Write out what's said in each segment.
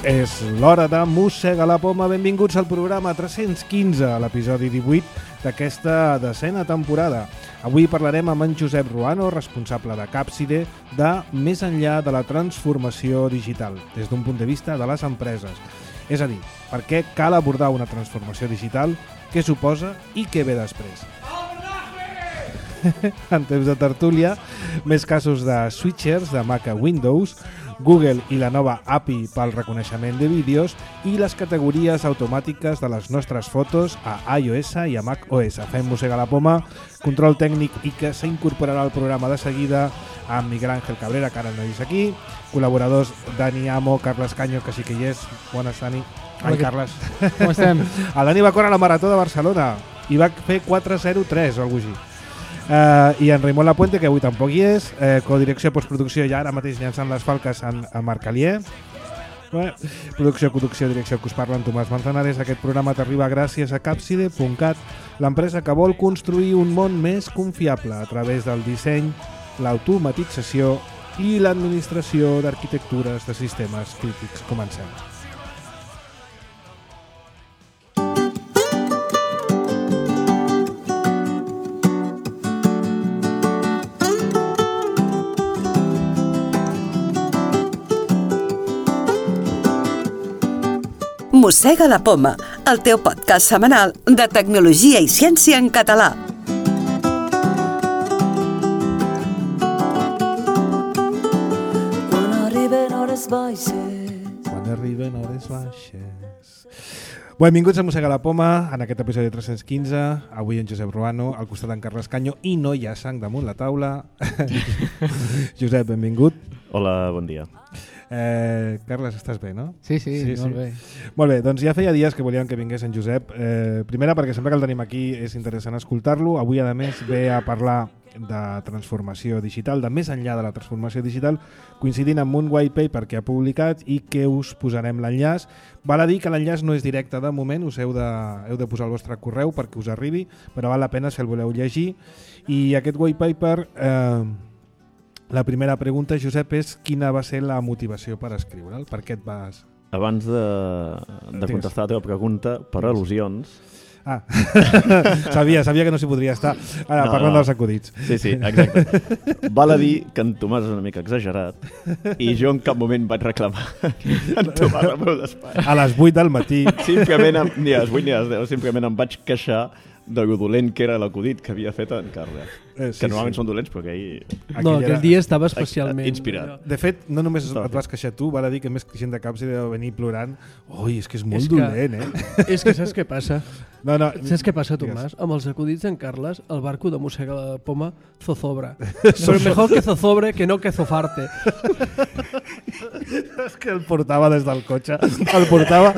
És l'hora de Mossega la Poma. Benvinguts al programa 315, a l'episodi 18 d'aquesta decena temporada. Avui parlarem amb en Josep Ruano, responsable de Capside, de més enllà de la transformació digital, des d'un punt de vista de les empreses. És a dir, per què cal abordar una transformació digital, què suposa i què ve després. En temps de tertúlia, més casos de switchers de Mac a Windows, Google i la nova API pel reconeixement de vídeos i les categories automàtiques de les nostres fotos a iOS i a macOS. Fem Mossega la Poma, control tècnic i que s'incorporarà al programa de seguida amb Miguel Ángel Cabrera, que ara no és aquí, col·laboradors Dani Amo, Carles Caño, que sí que hi és. Bones, Dani. Ai, Carles. Com estem? El Dani va córrer la Marató de Barcelona i va fer 4:03 o alguna cosa així. I en Raimon Lapuente, que avui tampoc hi és, codirecció, postproducció i ara mateix llançant les falques a Marc Alier. Producció, conducció, direcció, que us parla en Tomàs Manzanares. Aquest programa t'arriba gràcies a Capside.cat, l'empresa que vol construir un món més confiable a través del disseny, l'automatització i l'administració d'arquitectures de sistemes crítics. Comencem. Mossega la Poma, el teu podcast setmanal de tecnologia i ciència en català. Quan arriben hores baixes. Benvinguts a Mossega la Poma, en aquest episodi 315. Avui en Josep Ruano, al costat d'en Carles Caño, i no hi ha sang damunt la taula. Josep, benvingut. Hola, bon dia. Carles, estàs bé, no? Sí, molt bé. Molt bé, doncs ja feia dies que volíem que vingués en Josep. Primera, perquè sempre que el tenim aquí és interessant escoltar-lo. Avui, a més, ve a parlar de transformació digital, de més enllà de la transformació digital, coincidint amb un white paper que ha publicat i que us posarem l'enllaç. Val a dir que l'enllaç no és directe de moment, us heu de posar el vostre correu perquè us arribi, però val la pena si el voleu llegir. I aquest white paper... La primera pregunta, Josep, és quina va ser la motivació per escriure'l? Per què et vas... Abans de contestar la teva pregunta, per al·lusions... Ah, sabia que no s'hi podria estar. Ara, parlant dels acudits. Sí, exacte. Val a dir que en Tomàs és una mica exagerat i jo en cap moment vaig reclamar en Tomàs al meu despatx. A les 8 del matí. Simplement, ni a les 8 ni a les 10, simplement em vaig queixar de lo dolent que era l'acudit que havia fet en Carles. Sí, que normalment són dolents, però aquell... No, aquell dia estava especialment... inspirat. De fet, no només et vas queixar tu, val a dir que més gent de Capside deu venir plorant. Oi, és que és molt dolent, És que saps què passa? No. Saps què passa, Tomàs? Amb els acudits d'en Carles, el barco de Mossega la Poma zozobra. Però mejor que zozobre que no que zofarte. És que el portava des del cotxe. El portava...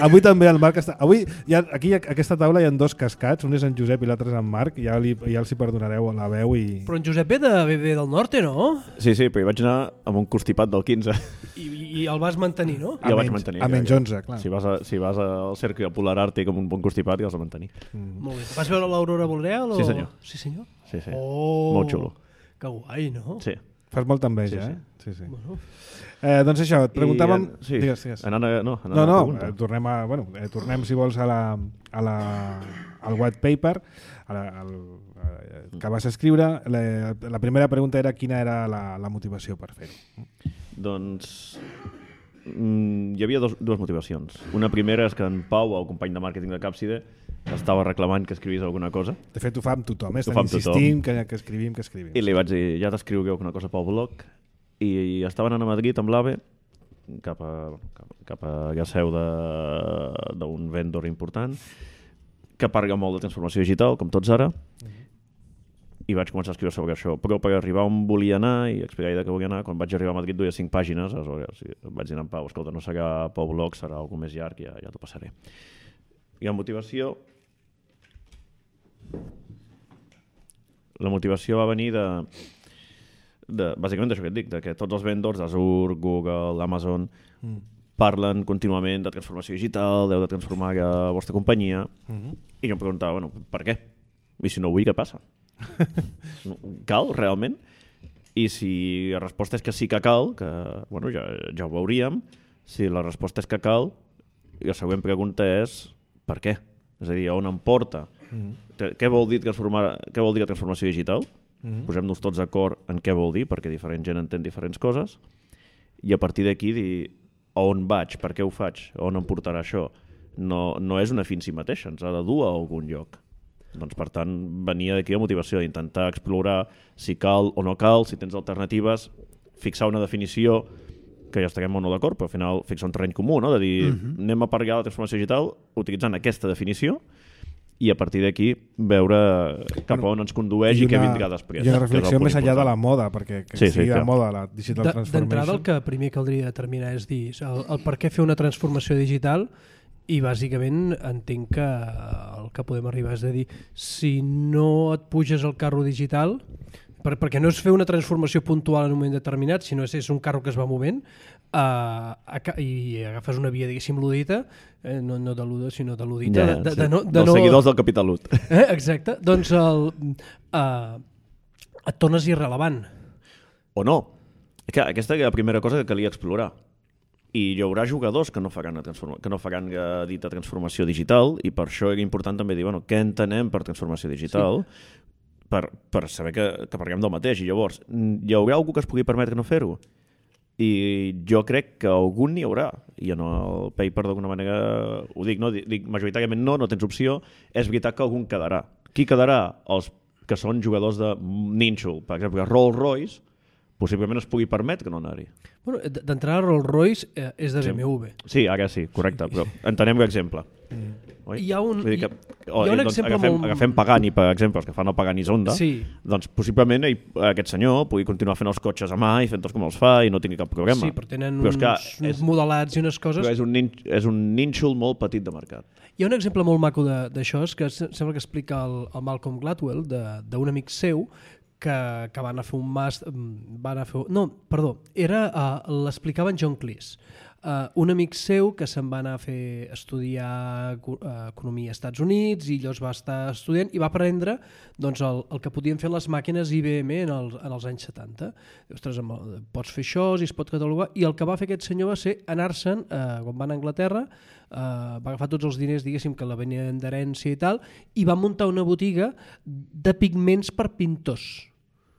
Avui també el Marc està... Avui, aquí a aquesta taula hi ha dos cascats, un és en Josep i l'altre és en Marc, ja els hi perdonareu la veu i... Però en Josep ve del norte, no? Sí, però hi vaig anar amb un constipat del 15. I el vas mantenir, no? I el vaig mantenir. A menys 11, clar. Si vas al cercle polar àrtic amb un bon constipat, ja els vas mantenir. Molt bé. Vas veure l'aurora boreal? Sí, senyor. Sí, senyor? Sí. Oh, molt xulo. Que guai, no? Sí. Fas molta enveja, sí. Sí. Bueno. Doncs això, et preguntàvem... Sí. Digues. Tornem, si vols, al white paper, que vas escriure. La primera pregunta era quina era la motivació per fer-ho. Doncs hi havia dues motivacions. Una primera és que en Pau, el company de màrqueting de Capside, estava reclamant que escrivís alguna cosa. De fet, ho fa amb tothom, estan insistint que escrivim. I li vaig dir, ja t'escriuré alguna cosa pel blog. I estaven anant a Madrid amb l'AVE cap a la seu d'un vendor important que parla molt de transformació digital, com tots ara, i vaig començar a escriure sobre això. Però per arribar on volia anar i explicar de què volia anar, quan vaig arribar a Madrid duia 5 pàgines, aleshores vaig dir a en Pau, escolta, no serà pel blog, serà alguna més llarg, ja t'ho passaré. I la motivació va venir bàsicament d'això que et dic, que tots els vendors d'Azure, Google, Amazon parlen contínuament de transformació digital, heu de transformar la vostra companyia, i jo em preguntava, bueno, per què? I si no ho vull, què passa? Cal, realment? I si la resposta és que sí que cal, que bueno, ja ho veuríem, Si la resposta és que cal, i la següent pregunta és per què? És a dir, on em porta? Què vol dir la transformació digital? Posem-nos tots d'acord en què vol dir, perquè diferent gent entén diferents coses, i a partir d'aquí dir a on vaig, per què ho faig, a on em portarà això. No és una fi en si mateixa, ens ha de dur a algun lloc. Doncs, per tant, venia d'aquí la motivació d'intentar explorar si cal o no cal, si tens alternatives, fixar una definició que ja estarem o no d'acord, però al final fixar un terreny comú, no? De dir, anem a parlar de la transformació digital utilitzant aquesta definició i a partir d'aquí veure cap a on ens condueix i què vindrà després. I una reflexió més enllà de la moda, perquè sigui de moda la digital transformation. D'entrada el que primer caldria determinar és dir el per què fer una transformació digital. I bàsicament entenc que el que podem arribar és a dir, si no et puges al carro digital, perquè no és fer una transformació puntual en un moment determinat, sinó és un carro que es va movent i agafes una via, diguéssim, ludita, no de luda, sinó de ludita. Dels seguidors del Capital Lut. Exacte, doncs et tornes irrellevant. O no. Aquesta és la primera cosa que calia explorar. I hi haurà jugadors que no faran dita transformació digital i per això era important també dir què entenem per transformació digital per saber que parlem del mateix. I llavors, hi haurà algú que es pugui permetre no fer-ho? I jo crec que algun n'hi haurà. I en el paper d'alguna manera ho dic, no? Dic majoritàriament no tens opció. És veritat que algun quedarà. Qui quedarà? Els que són jugadors de nínxol. Per exemple, Rolls-Royce possiblement es pugui permetre no anar-hi. Bueno, d'entrada Rolls-Royce és de BMW. Sí, ara sí, correcte, però entenem l'exemple. Hi ha un exemple agafem Pagani, per exemple, els que fan el Pagani Zonda, doncs possiblement aquest senyor pugui continuar fent els cotxes a mà i fent-los com els fa i no tingui cap problema. Sí, però tenen uns modelats i unes coses... Però és un nínxol molt petit de mercat. Hi ha un exemple molt maco d'això, que sembla que explica el Malcolm Gladwell, d'un amic seu, que van a fer un màster... l'explicava en John Cleese. Un amic seu que se'n va anar a fer estudiar economia als Estats Units i llavors va estar estudiant i va aprendre doncs, el que podien fer les màquines IBM en els anys 70. Ostres, pots fer això, si es pot catalogar... I el que va fer aquest senyor va ser anar-se'n, quan va a Anglaterra, va agafar tots els diners, diguéssim, que la venien d'herència i tal, i va muntar una botiga de pigments per pintors.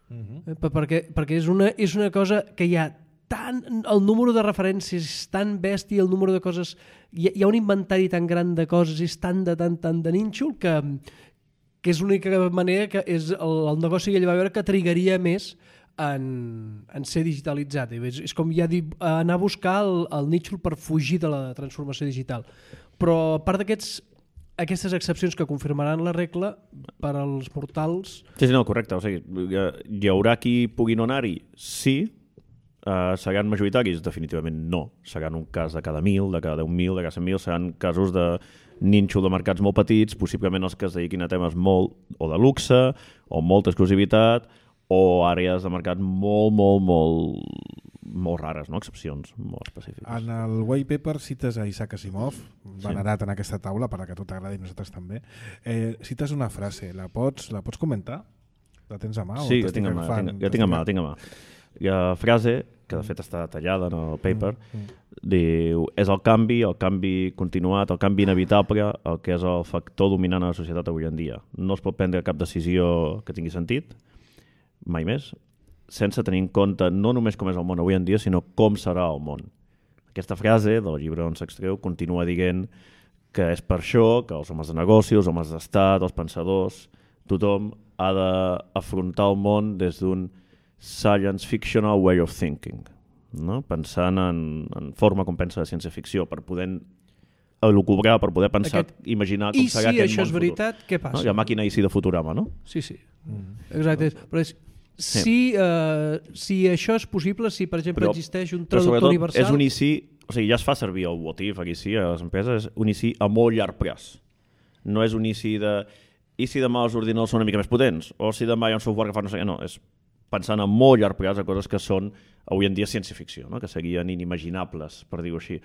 Perquè és una cosa que hi ha el número de referències és tan bèstia, el número de coses, hi ha un inventari tan gran de coses, és tan de nínxol que és l'única manera que és el negoci que ell va veure que trigaria més en ser digitalitzat. És com ja dir, anar a buscar el nínxol per fugir de la transformació digital. Però a part aquestes excepcions que confirmaran la regla per als mortals... Sí, no, correcte. O sigui, hi haurà qui pugui no anar-hi? Sí. Seran majoritaris? Definitivament no. Seran un cas de cada 1.000, de cada 10.000, de cada 100.000. Seran casos de nínxol de mercats molt petits, possiblement els que es dediquin a temes molt o de luxe, o molta exclusivitat, o àrees de mercat molt rares, no? Excepcions molt específiques. En el white paper cites a Isaac Asimov, venerat en aquesta taula, per a que a tu t'agradi i nosaltres també. Cites una frase, la pots comentar? La tens a mà? Sí, la tinc a mà. La frase, que de fet està detallada en el paper, diu, és el canvi continuat, el canvi inevitable, el que és el factor dominant a la societat avui en dia. No es pot prendre cap decisió que tingui sentit, mai més, sense tenir en compte no només com és el món avui en dia, sinó com serà el món. Aquesta frase del llibre on s'extreu continua dient que és per això que els homes de negocis, els homes d'estat, els pensadors, tothom ha d'afrontar el món des d'un science fictional way of thinking, no? Pensant en forma com pensa de ciència-ficció, per poder elucubrar, per poder pensar, imaginar com serà aquest món futur. I si això és veritat, què passa? No? Hi ha màquina i sí de Futurama, no? Sí. Exacte. Però si això és possible, si per exemple existeix un traductor universal... És un IC, o sigui, ja es fa servir el what if aquí sí, a les empreses, és un IC a molt llarg plaç. No és un IC de... I si demà els ordinadors són una mica més potents? O si demà hi ha un software que fa no sé què? No, és pensant a molt llarg plaç a coses que són avui en dia ciència-ficció, no? Que serien inimaginables, per dir-ho així.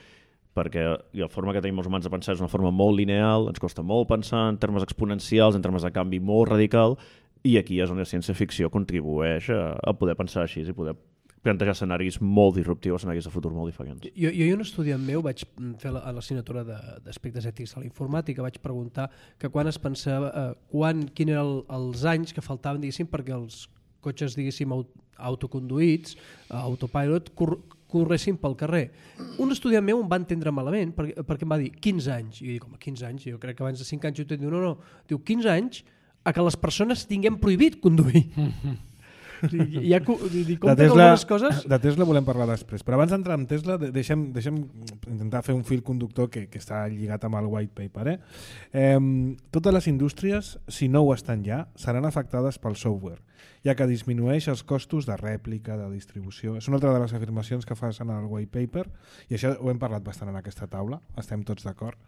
Perquè la forma que tenim els humans de pensar és una forma molt lineal, ens costa molt pensar en termes exponencials, en termes de canvi molt radical, i aquí és on la ciència-ficció contribueix a poder pensar així i poder plantejar escenaris molt disruptius, escenaris de futur molt diferents. Jo i un estudiant meu vaig fer a l'assignatura d'aspectes ètics a la informàtica, vaig preguntar que quan es pensava, quin eren els anys que faltaven, diguéssim, perquè els cotxes, diguéssim, autoconduïts, autopilot, corressin pel carrer. Un estudiant meu em va entendre malament perquè em va dir 15 anys. I jo dic, home, 15 anys? Jo crec que abans de 5 anys jo diu, no. Diu, 15 anys a que les persones tinguem prohibit conduir. Ja, de Tesla volem parlar després, però abans d'entrar en Tesla deixem intentar fer un fil conductor que està lligat amb el white paper. Totes les indústries, si no ho estan ja, seran afectades pel software, ja que disminueix els costos de rèplica, de distribució. És una altra de les afirmacions que fan en el white paper, i això ho hem parlat bastant en aquesta taula, estem tots d'acord.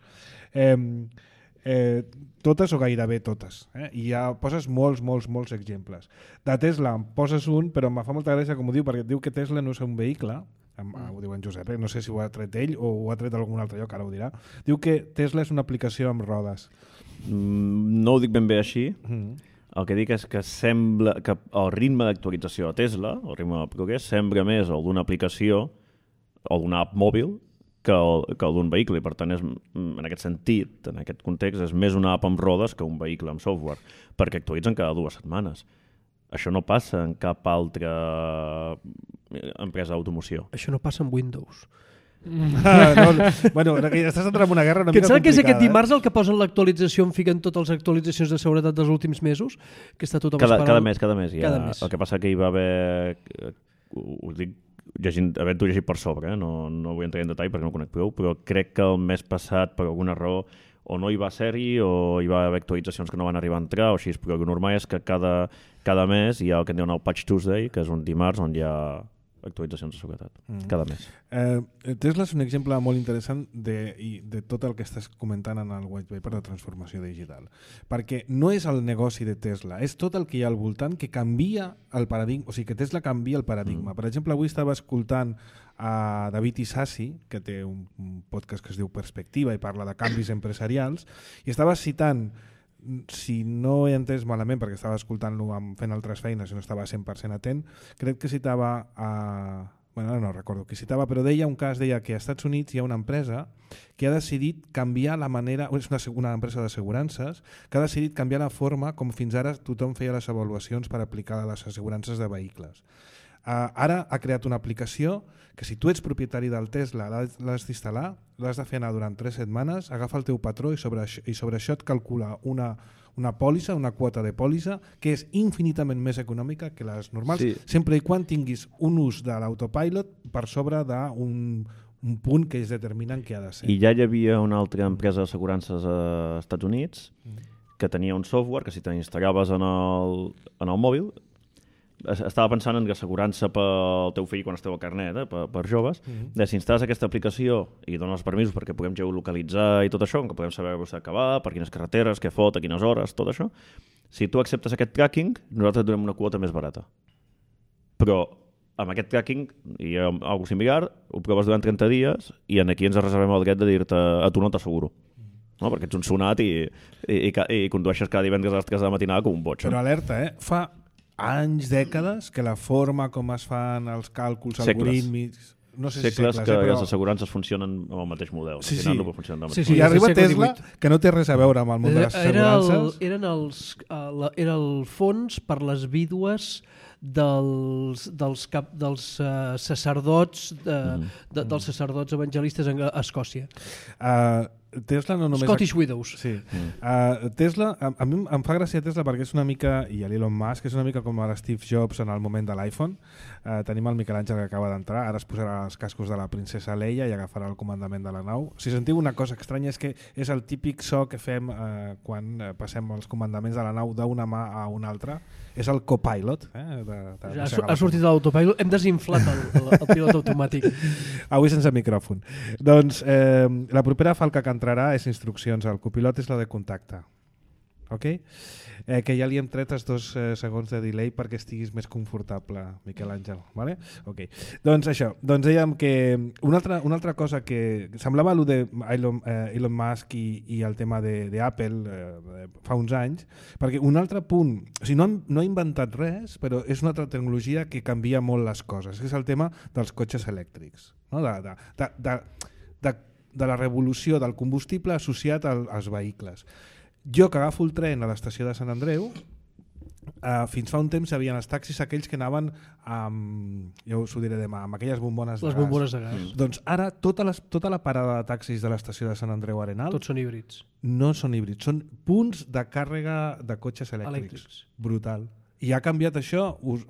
Totes o gairebé totes, i ja poses molts exemples. De Tesla em poses un, però em fa molta gràcia com ho diu, perquè diu que Tesla no és un vehicle, ho diu en Josep, no sé si ho ha tret ell o ho ha tret d'algun altre lloc, ara ho dirà. Diu que Tesla és una aplicació amb rodes. No ho dic ben bé així. El que dic és que sembla que el ritme d'actualització a Tesla, el ritme de progrés, sembla més el d'una aplicació o d'una app mòbil que el d'un vehicle, i per tant en aquest sentit, en aquest context, és més una app amb rodes que un vehicle amb software, perquè actualitzen cada 2 setmanes. Això no passa en cap altra empresa d'automoció. Això no passa amb Windows. Bueno, estàs entrant en una guerra una mica complicada. Saps que és aquest dimarts el que posen l'actualització, en fiquen totes les actualitzacions de seguretat dels últims mesos? Que està tothom esperant. Cada mes. El que passa que hi va haver... Ho dic havent-ho llegit per sobre, no vull entrar en detall perquè no conec prou, però crec que el mes passat, per alguna raó, o no hi va ser-hi o hi va haver actualitzacions que no van arribar a entrar o així, però el normal és que cada mes hi ha el que en diuen el Patch Tuesday, que és un dimarts on hi ha actualitzacions de seguretat, cada mes. Tesla és un exemple molt interessant de tot el que estàs comentant en el white paper de transformació digital, perquè no és el negoci de Tesla, és tot el que hi ha al voltant que canvia el paradigma, o sigui que Tesla canvia el paradigma. Per exemple, avui estava escoltant a David Isasi, que té un podcast que es diu Perspectiva i parla de canvis empresarials, i estava citant, si no he entès malament perquè estava escoltant-lo fent altres feines i no estava 100% atent, crec que citava bueno, no recordo qui citava, però deia un cas, deia que als Estats Units hi ha una empresa que ha decidit canviar la manera, és una empresa d'assegurances, que ha decidit canviar la forma com fins ara tothom feia les avaluacions per aplicar les assegurances de vehicles. Ara ha creat una aplicació que si tu ets propietari del Tesla l'has d'instal·lar, l'has de fer anar durant 3 setmanes, agafa el teu patró i sobre això et calcula una pòlissa, una quota de pòlissa que és infinitament més econòmica que les normals, sí, sempre i quan tinguis un ús de l'autopilot per sobre d'un punt que es determinen que ha de ser. I ja hi havia una altra empresa d'assegurances als Estats Units que tenia un software que si t'instal·laves en el mòbil, estava pensant en assegurança pel teu fill quan esteu al carnet, per joves, si instal·les aquesta aplicació i dones permisos perquè puguem geolocalitzar i tot això, que podem saber a què va, per quines carreteres, què fot, a quines hores, tot això, si tu acceptes aquest tracking, nosaltres et donem una quota més barata. Però amb aquest tracking hi ha alguna cosa similar, ho proves durant 30 dies i aquí ens reservem el dret de dir-te a tu no t'asseguro. No? Perquè ets un sonat i condueixes cada divendres a les 3 de la matinada com un boig. Però alerta, fa anys, dècades, que la forma com es fan els càlculs algorítmics... No sé segles que les assegurances funcionen amb el mateix model. Sí. I arriba Tesla, que no té res a veure amb el món de les assegurances. Era el fons per les vídues dels sacerdots dels sacerdots evangelistes a Escòcia. Tesla no només... Scottish Widows. Sí. Tesla, a mi em fa gràcia Tesla perquè és una mica, i l'Elon Musk, és una mica com l'Steve Jobs en el moment de l'iPhone. Tenim el Miquel Àngel que acaba d'entrar, ara es posarà els cascos de la princesa Leia i agafarà el comandament de la nau. Si sentiu una cosa estranya és que és el típic so que fem quan passem els comandaments de la nau d'una mà a una altra. És el copilot. Ha sortit de l'autopilot, hem desinflat el pilot automàtic. Avui sense micròfon. Doncs la propera falca que entrarà és instruccions. El copilot és la de contacte. ok? Que ja li hem tret els 2 segons de delay perquè estiguis més confortable, Miquel Àngel, vale? Ok. Doncs això, doncs dèiem que una altra cosa que semblava allò de Elon Musk i el tema d'Apple fa uns anys, perquè un altre punt, o sigui, no ha inventat res, però és una altra tecnologia que canvia molt les coses, que és el tema dels cotxes elèctrics, no? De la revolució del combustible associat als vehicles. Jo que agafo el tren a l'estació de Sant Andreu, fins fa un temps hi havia els taxis aquells que anaven amb, ja us ho diré demà, amb aquelles bombones de gas. Les bombones de gas. Doncs ara tota la parada de taxis de l'estació de Sant Andreu Arenal Tots són híbrids. no són híbrids, són punts de càrrega de cotxes elèctrics. Brutal. I ha canviat això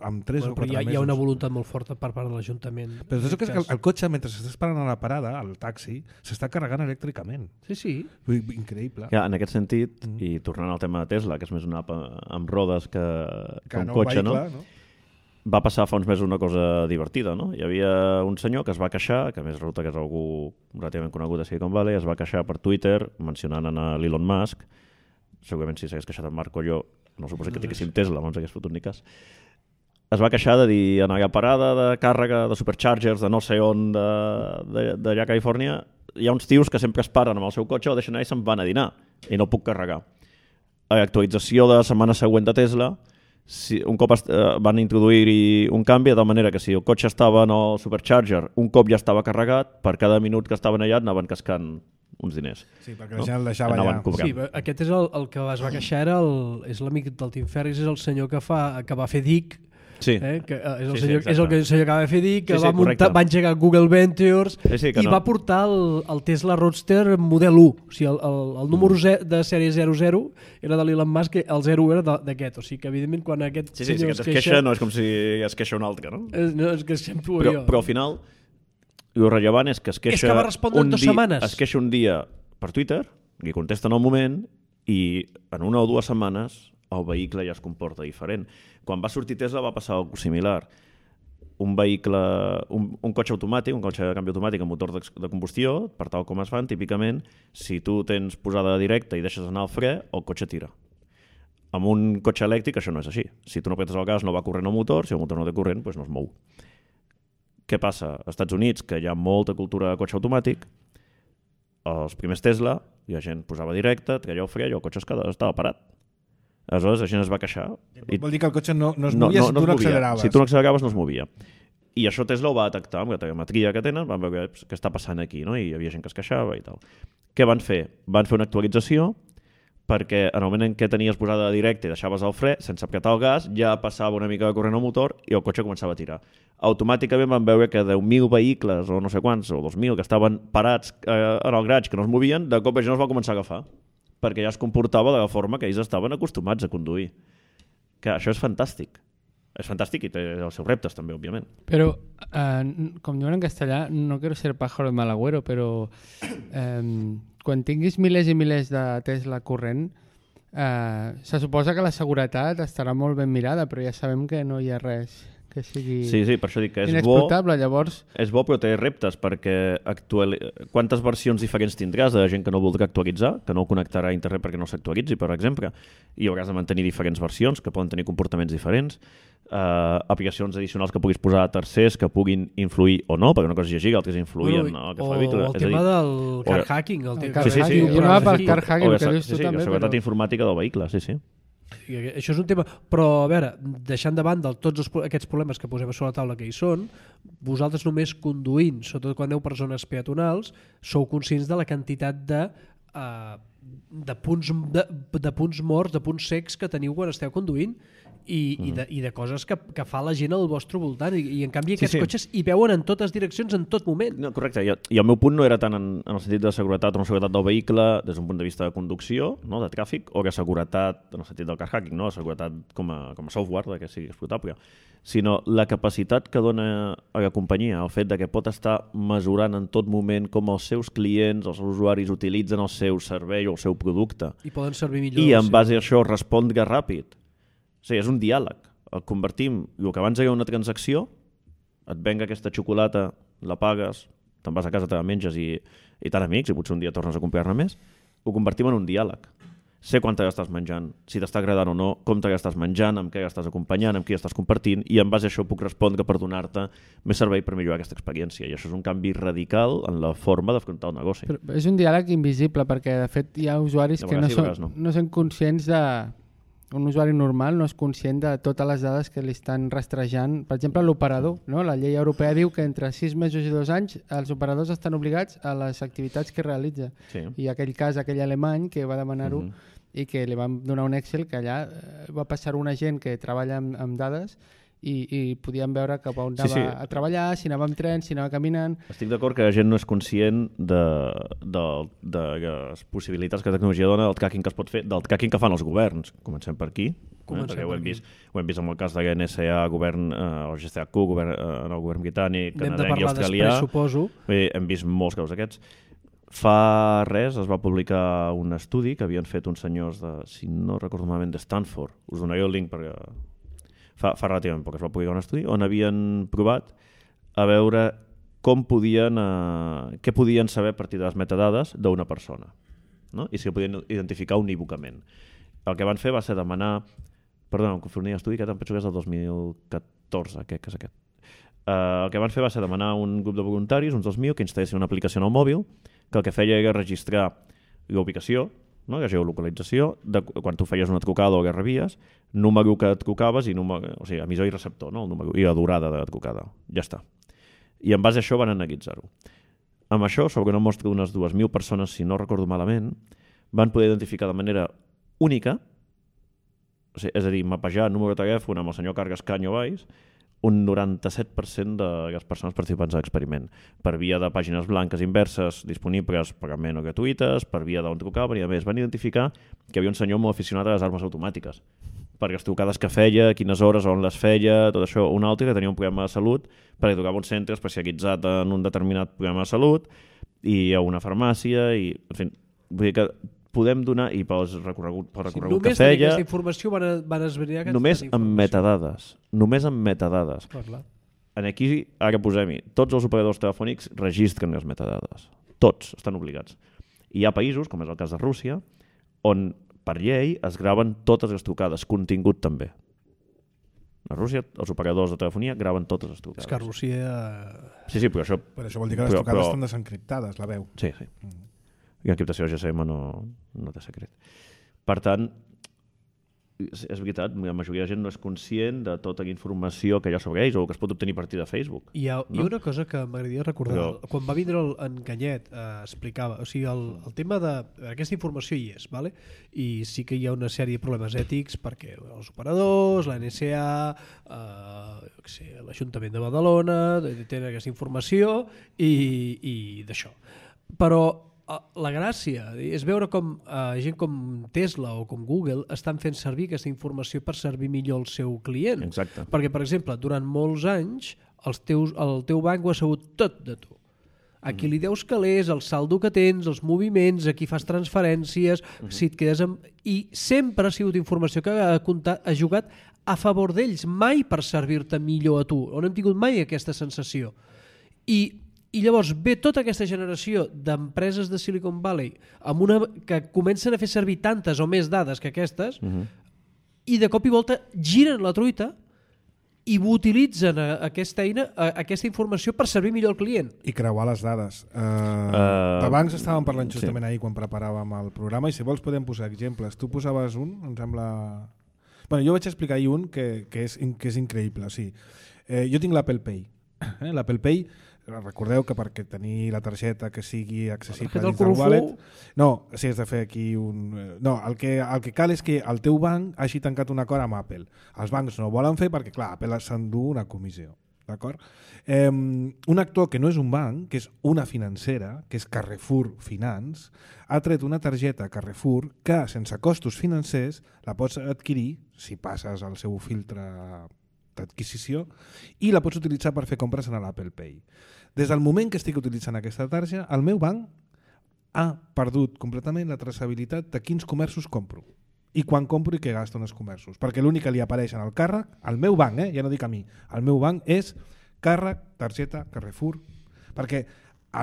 amb 3 o 4 mesos. Hi ha una voluntat molt forta per part de l'Ajuntament. Però saps que el cotxe, mentre s'està esperant a la parada, el taxi, s'està carregant elèctricament. Sí. Increïble. Ja, en aquest sentit, i tornant al tema de Tesla, que és més una app amb rodes que un no cotxe, vehicle, no? Va passar fa uns mesos una cosa divertida, no? Hi havia un senyor que es va queixar, que a més resulta que és algú relativament conegut a Silicon Valley, es va queixar per Twitter mencionant a l'Elon Musk, segurament si s'hagués queixat en Marc o jo, no suposo que tinguéssim Tesla, no ens hagués fotut ni cas. Es va queixar de dir en aquella parada de càrrega de superchargers de no sé on d'allà a Califòrnia hi ha uns tios que sempre es paren amb el seu cotxe o deixen allà i se'n van a dinar i no puc carregar. Actualització de la setmana següent de Tesla, un cop van introduir-hi un canvi de tal manera que si el cotxe estava en el supercharger un cop ja estava carregat, per cada minut que estaven allà anaven cascant uns diners. Sí, perquè la gent el deixava allà. Sí, aquest és el que es va queixar, és l'amic del Tim Ferriss, és el senyor que va fer DIC, sí. Que és el senyor que va fer DIC, que va engegar Google Ventures i va portar el Tesla Roadster model 1. O sigui, el número de sèrie 00 era de l'Elon Musk, el 0 era d'aquest. O sigui que, evidentment, quan aquest senyor es queixa, no és com si es queixa un altre, no? No, és que queixem tu o jo. Però al final, el rellevant és que es queixa... És que va respondre en 2 setmanes. Es queixa un dia per Twitter, li contesta en el moment, i en 1 o 2 setmanes el vehicle ja es comporta diferent. Quan va sortir Tesla va passar alguna cosa similar. Un vehicle, un cotxe automàtic, un cotxe de canvi automàtic amb motor de combustió, per tal com es fan, típicament, si tu tens posada directa i deixes anar el fre, el cotxe tira. Amb un cotxe elèctric això no és així. Si tu no apretes el gas no va corrent el motor, si el motor no té corrent doncs no es mou. Què passa? Als Estats Units, que hi ha molta cultura de cotxe automàtic, els primers Tesla, la gent posava directe, treia el fre i el cotxe estava parat. Aleshores la gent es va queixar. Vol dir que el cotxe no es movia si tu no acceleraves. Si tu no acceleraves no es movia. I això Tesla ho va detectar amb la telemetria que tenen, van veure què està passant aquí, no? I hi havia gent que es queixava i tal. Què van fer? Van fer una actualització perquè en el moment en què tenies posada directa i deixaves el fre, sense apretar el gas, ja passava una mica de corrent al motor i el cotxe començava a tirar. Automàticament van veure que 10.000 vehicles o no sé quants, o 2.000, que estaven parats en el garatge, que no es movien, de cop la gent els va començar a agafar, perquè ja es comportava de la forma que ells estaven acostumats a conduir. Que això és fantàstic. És fantàstic i té els seus reptes també, òbviament. Però, com diuen en castellà, no quiero ser pájaro de mal agüero, però quan tinguis milers i milers de Tesla corrent, se suposa que la seguretat estarà molt ben mirada, però ja sabem que no hi ha res que sigui per això dic que és inexploitable. Llavors... És bo, però té reptes, perquè quantes versions diferents tindràs de gent que no voldrà actualitzar, que no connectarà a internet perquè no s'actualitzi, per exemple, i hauràs de mantenir diferents versions que poden tenir comportaments diferents, aplicacions addicionals que puguis posar a tercers que puguin influir o no, perquè una cosa és llegir, l'altra és influir en el que fa el tema del car hacking. Jo anava pel car hacking, el que dius tu també. La seguretat informàtica del vehicle, sí. Això és un tema, però a veure, deixant de banda tots aquests problemes que posem sobre la taula que hi són, vosaltres només conduint, sobretot quan aneu per zones peatonals, sou conscients de la quantitat de punts morts, de punts secs que teniu quan esteu conduint i de coses que fa la gent al vostre voltant i en canvi aquests cotxes hi veuen en totes direccions en tot moment. No, correcte, i el meu punt no era tant en el sentit de seguretat o no seguretat del vehicle des d'un punt de vista de conducció, no, de tràfic, o de seguretat en el sentit del car hacking, no, de seguretat com a software, que sigui explotable, sinó la capacitat que dona a la companyia, el fet de que pot estar mesurant en tot moment com els seus clients, els seus usuaris utilitzen el seu servei o el seu producte. I poden servir millor. I en base a això respondre ràpid. O sigui, és un diàleg. El convertim, el que abans era una transacció, et venga aquesta xocolata, la pagues, te'n vas a casa, te la menges i tan amics, i potser un dia tornes a comprar-ne més, ho convertim en un diàleg. sé quant t'estàs menjant, si t'està agradant o no, com t'estàs menjant, amb què estàs acompanyant, amb qui estàs compartint, i en base a això puc respondre per donar-te més servei per millorar aquesta experiència. I això és un canvi radical en la forma d'afrontar el negoci. Però és un diàleg invisible, perquè de fet hi ha usuaris que no són conscients de... Un usuari normal no és conscient de totes les dades que li estan rastrejant. Per exemple, l'operador. No? La llei europea diu que entre 6 mesos i 2 anys els operadors estan obligats a les activitats que realitza. Sí. I aquell cas, aquell alemany que va demanar-ho i que li van donar un Excel que allà va passar una gent que treballa amb dades i podíem veure cap on anava a treballar, si anava amb tren, si anava caminant... Estic d'acord que la gent no és conscient de les possibilitats que la tecnologia dona, del tracking que es pot fer, del tracking que fan els governs. Comencem per aquí, perquè ho hem vist amb el cas de la NSA, govern, o GCHQ, en el govern britànic, canadenc i australià. Després, suposo. Hem vist molts casos d'aquests. Fa res es va publicar un estudi que havien fet uns senyors de, si no recordo malament, de Stanford. Us donaré el link perquè... Fa relativament poc es va publicar un estudi on havien provat a veure què podien saber a partir de les metadades d'una persona, no? I si podien identificar unívocament. El que van fer va ser demanar... Perdona, em confonia l'estudi, que em penso que és el 2014, que és aquest. El que van fer va ser demanar a un grup de voluntaris, uns 2.000, que instal·lessin una aplicació en el mòbil, que el que feia era registrar l'ubicació, no? La geolocalització, de quan tu feies una trucada o que rebies, número que et trucaves, o sigui, emissor i receptor, no? El número, i la durada de la trucada. Ja està. I en base a això van analitzar-ho. Amb això, sobre una mostra d'unes 2.000 persones, si no recordo malament, van poder identificar de manera única, o sigui, és a dir, mapejar el número de telèfon amb el senyor Cargas Canyo Valls, un 97% de les persones participants a l'experiment, per via de pàgines blanques inverses disponibles pagament o gratuïtes, per via d'on trucaven, i a més van identificar que hi havia un senyor molt aficionat a les armes automàtiques, perquè les trucades que feia, quines hores, on les feia, tot això. Un altre que tenia un problema de salut, perquè trucava a un centre especialitzat en un determinat problema de salut, i a una farmàcia, i en fi, vull dir que podem donar, i pel recorregut que feia... Només aquesta informació van esbrinar aquesta només amb metadades. Només amb metadades. Clar. Aquí, ara posem-hi, tots els operadors telefònics registren les metadades. Tots estan obligats. I hi ha països, com és el cas de Rússia, on per llei es graven totes les trucades, contingut també. A Rússia, els operadors de telefonia graven totes les trucades. És que a Rússia... Sí, però això... Per això vol dir que les trucades estan desencriptades, la veu. Sí. I l'encriptació GSM no té secret. Per tant, és veritat, la majoria de gent no és conscient de tota la informació que hi ha sobre ells o que es pot obtenir a partir de Facebook. Hi ha una cosa que m'agradaria recordar. Quan va vindre en Canyet explicava, o sigui, el tema d'aquesta informació hi és, vale? I sí que hi ha una sèrie de problemes ètics perquè els operadors, la NSA, l'Ajuntament de Badalona tenen aquesta informació i d'això. Però la gràcia és veure com gent com Tesla o com Google estan fent servir aquesta informació per servir millor el seu client. Exacte. Perquè, per exemple, durant molts anys el teu banc ho ha sabut tot de tu. A qui li deus calés, el saldo que tens, els moviments, a qui fas transferències, si et quedes amb... I sempre ha sigut informació que ha jugat a favor d'ells, mai per servir-te millor a tu. On hem tingut mai aquesta sensació. I llavors ve tota aquesta generació d'empreses de Silicon Valley que comencen a fer servir tantes o més dades que aquestes i de cop i volta giren la truita i utilitzen aquesta eina, aquesta informació per servir millor el client. I creuar les dades. De bancs estàvem parlant justament ahir quan preparàvem el programa i si vols podem posar exemples. Tu posaves un, em sembla... Bueno, jo vaig explicar ahir un que és increïble. Sí. Jo tinc l'Apple Pay. L'Apple Pay... Recordeu que perquè tenir la targeta que sigui accessible dins del wallet... No, si has de fer aquí un... No, el que cal és que el teu banc hagi tancat un acord amb Apple. Els bancs no ho volen fer perquè, clar, Apple s'endú una comissió. D'acord? Un actor que no és un banc, que és una financera, que és Carrefour Finance, ha tret una targeta Carrefour que, sense costos financers, la pots adquirir, si passes el seu filtre d'adquisició, i la pots utilitzar per fer compres en l'Apple Pay. Des del moment que estic utilitzant aquesta targeta, el meu banc ha perdut completament la traçabilitat de quins comerços compro i quan compro i què gasto en els comerços, perquè l'únic que li apareix en el càrrec, al meu banc, ja no dic a mi, al meu banc és càrrec, targeta, Carrefour, perquè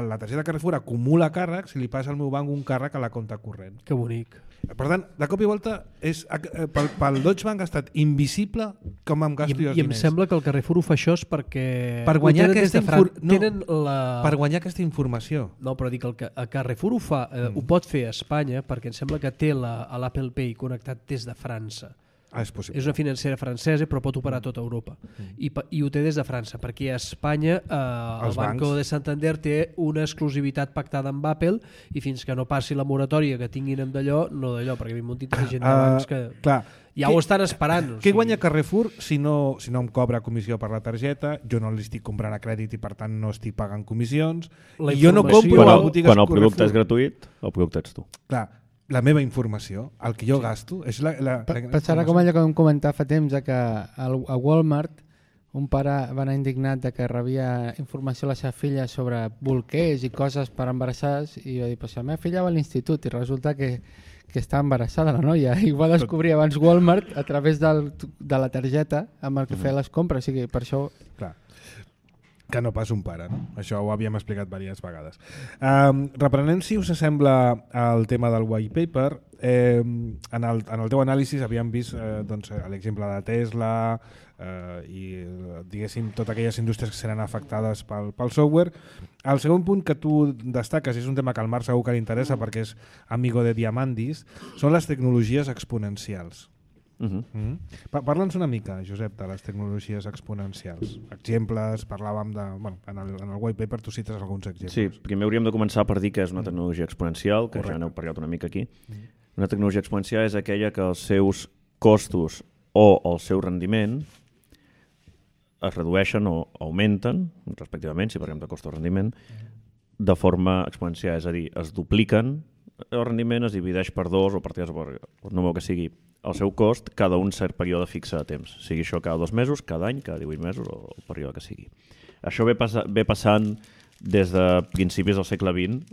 la targeta Carrefour acumula càrrecs i li passa al meu banc un càrrec a la compte corrent. Que bonic. Per tant, de cop i volta, pel Deutsche Bank ha estat invisible com em gasto jo els I em diners. sembla que el Carrefour ho fa això és perquè... Per guanyar ho tenen aquesta des de Fran- no, tenen la... per guanyar aquesta informació. No, però dic, el Carrefour ho fa, ho pot fer a Espanya perquè em sembla que té l'Apple Pay connectat des de França. És possible. És una financera francesa però pot operar a tota Europa i ho té des de França perquè a Espanya el Banco de Santander té una exclusivitat pactada amb Apple i fins que no passi la moratòria que tinguin amb d'allò, no d'allò, perquè hi ha un munt de gent de bancs que clar, ja ho estan esperant. Què guanya Carrefour si no em cobra comissió per la targeta, jo no li estic comprant a crèdit i per tant no estic pagant comissions, La i jo no informació- compro a botigues Quan el producte Carrefour. és gratuït, el producte ets tu. Clar, la meva informació, el que jo gasto, és la Passarà com allò que vam comentar fa temps, que a Walmart un pare va anar indignat de que rebia informació a la seva filla sobre bolquers i coses per embarassades i va dir, pues la meva filla va a l'institut i resulta que està embarassada la noia i ho va descobrir abans Walmart a través de la targeta amb el que feia les compres, o sigui, per això... Clar, que no pas un pare, no? Això ho havíem explicat diverses vegades. Reprenent, si us sembla, el tema del white paper, en el teu anàlisi havíem vist doncs, l'exemple de Tesla i diguéssim totes aquelles indústries que seran afectades pel software. El segon punt que tu destaques, és un tema que al Marc segur que li interessa perquè és amigo de Diamandis, són les tecnologies exponencials. Parla'ns una mica, Josep, de les tecnologies exponencials. Exemples, parlàvem de... Bueno, en el white paper tu cites alguns exemples. Sí, primer hauríem de començar per dir que és una tecnologia exponencial, que ja n'heu parlat una mica aquí. Una tecnologia exponencial és aquella que els seus costos o el seu rendiment es redueixen o augmenten, respectivament, si parlem de cost o rendiment, de forma exponencial, és a dir, es dupliquen, el rendiment es divideix per 2 o per 3 o per el número que sigui el seu cost cada un cert període fixe de temps, sigui això cada 2 mesos, cada any, cada 18 mesos o el període que sigui. Això ve passant des de principis del segle XX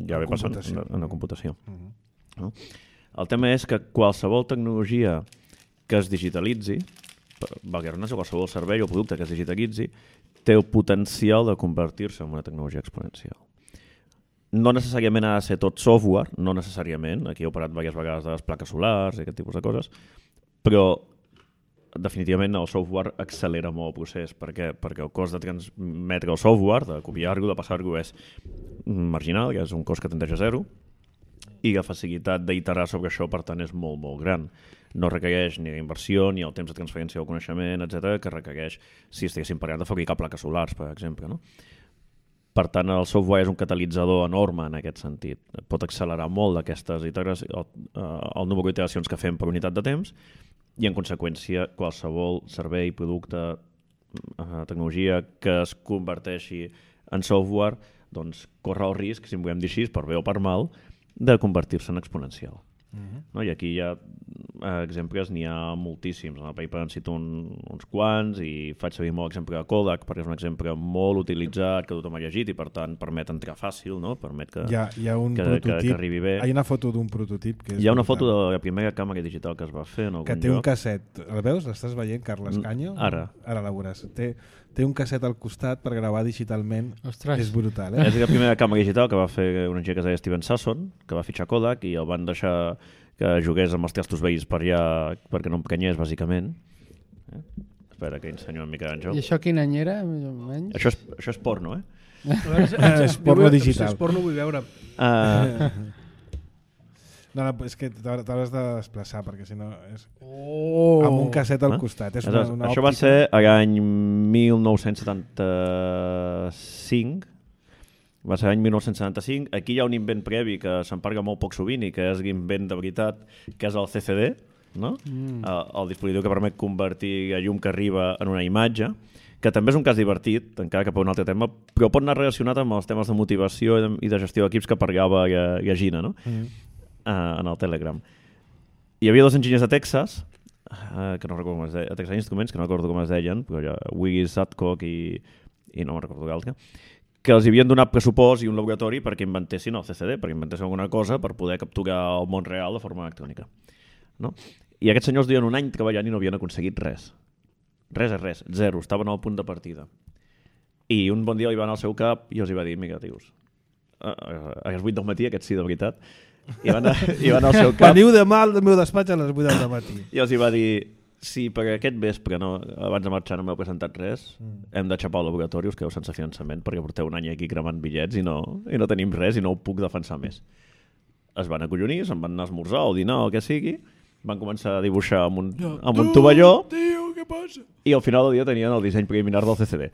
ja ve passant en la computació. No? El tema és que qualsevol tecnologia que es digitalitzi, qualsevol servei o producte que es digitalitzi, té el potencial de convertir-se en una tecnologia exponencial. No necessàriament ha de ser tot software, no necessàriament, aquí he operat diverses vegades de les plaques solars i aquest tipus de coses, però definitivament el software accelera molt el procés. Per què? Perquè el cost de transmetre el software, de copiar-lo, de passar-lo, és marginal, que és un cost que tendeix a zero, i la facilitat d'iterar sobre això, per tant, és molt, molt gran. No requereix ni la inversió, ni el temps de transferència del coneixement, etc., que requereix si estiguéssim parlant de fabricar plaques solars, per exemple, no? Per tant, el software és un catalitzador enorme en aquest sentit. Pot accelerar molt d'aquestes iteracions, el número d'iteracions que fem per unitat de temps i, en conseqüència, qualsevol servei, producte, tecnologia que es converteixi en software doncs, corre el risc, si en volem dir així, per bé o per mal, de convertir-se en exponencial. No? I aquí hi ha exemples, n'hi ha moltíssims. En el paper en cito uns quants i faig servir molt l'exemple de Kodak perquè és un exemple molt utilitzat que tothom ha llegit i per tant permet entrar fàcil, no? Permet que, hi ha un prototip, que arribi bé. Hi ha una foto d'un prototip que és hi ha una foto de la primera càmera digital que es va fer en algun que té lloc. un casset. El veus? L'estàs veient, Carles Canyo? Ara la veuràs. Té un casset al costat per gravar digitalment. Ostres. És brutal, És la primera càmera digital que va fer un enginyer que es deia Steven Sasson, que va fitxar Kodak i el van deixar que jugués amb els testos veïns per allà perquè no emprenyés, bàsicament. Espera, que ensenyo una mica d'en I això quin any era, més o menys? Això és porno, eh? És porno digital. Si és porno vull veure. No, és que t'hauràs de desplaçar perquè si no és... amb un casset al costat. És una això va ser l'any 1975. Va ser l'any 1975. Aquí hi ha un invent previ que se'n parla molt poc sovint i que és l'invent de veritat, que és el CCD, no? El dispositiu que permet convertir la llum que arriba en una imatge, que també és un cas divertit, encara que per un altre tema, però pot anar relacionat amb els temes de motivació i de gestió d'equips que parlava la Gina, no? En el Telegram. Hi havia dos enginyers de Texas, que no recordo com es deien, a Texas Instruments, que no recordo com es deien, però Willis Adcock i no me'n recordo l'altre, que els havien donat pressupost i un laboratori perquè inventessin el CCD, perquè inventessin alguna cosa per poder capturar el món real de forma electrònica. No? I aquests senyors duien un any treballant i no havien aconseguit res. Res, zero, estaven al punt de partida. I un bon dia li va anar al seu cap i els hi va dir, mira, tios, a les 8 del matí, aquest sí de veritat, I va anar al seu cap Veniu demà al meu despatx a les 8 del matí. i els hi va dir: si per aquest vespre, abans de marxar, no m'heu presentat res, hem de xapar el laboratori, us quedeu sense finançament perquè porteu un any aquí cremant bitllets i no tenim res i no ho puc defensar més. Es van acollonir, se'n van anar a esmorzar o dinar o el que sigui, van començar a dibuixar amb un tovalló. Tio, què passa? I al final del dia tenien el disseny preliminar del CCD.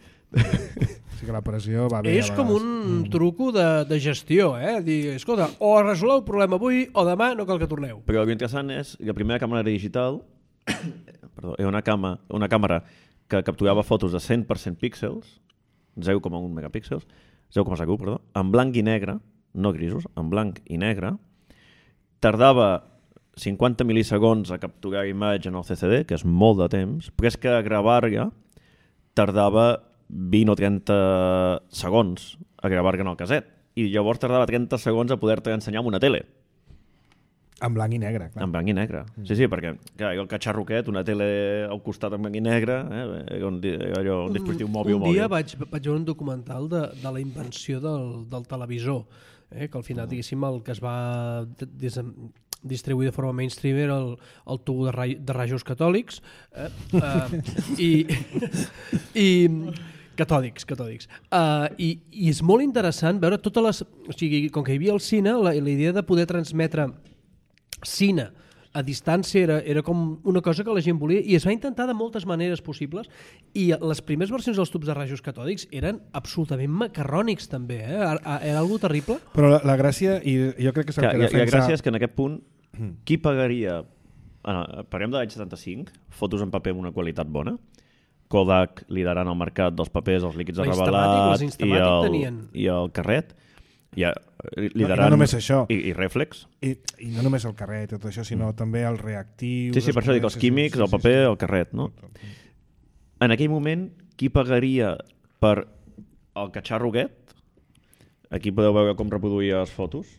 Sí que la pressió va bé. És com un truco de gestió, Dir, escolta, o resoleu el problema avui o demà no cal que torneu. Però el que interessant és que la primera càmera digital era una càmera que capturava fotos de 100% píxels, 0,1 megapíxels, 0,1, perdó, en blanc i negre, no grisos, en blanc i negre, tardava 50 mil·lisegons a capturar imatge en el CCD, que és molt de temps, però és que a gravar-la tardava 20 o 30 segons a gravar-la en el caset, i llavors tardava 30 segons a poder-te ensenyar amb una tele. En blanc i negre, clar. En blanc i negre. Sí, perquè clar, el catxarro aquest, una tele al costat en blanc i negre, era un dispositiu mòbil. Un dia vaig veure un documental de la invenció del televisor, que al final, diguéssim, el que es va distribuir de forma mainstream era el tubo de rajos catòlics i catòdics. I és molt interessant veure totes les... O sigui, com que hi havia el cine, la idea de poder transmetre cine a distància era com una cosa que la gent volia i es va intentar de moltes maneres possibles i les primeres versions dels tubs de rajos catòdics eren absolutament macarrònics també, era algo terrible. Però la gràcia, i jo crec que és el que defensa... La gràcia és que en aquest punt, qui pagaria... Parlem de l'any 75, fotos en paper amb una qualitat bona, Kodak liderant el mercat dels papers, els líquids de revelat i el carret, liderant, no només això. I Reflex. I no només el carret, tot això, sinó també el reactiu... Sí, per això dic els químics, el paper, el carret, no? En aquell moment, qui pagaria per el catxarro aquest? Aquí podeu veure com reproduïa les fotos.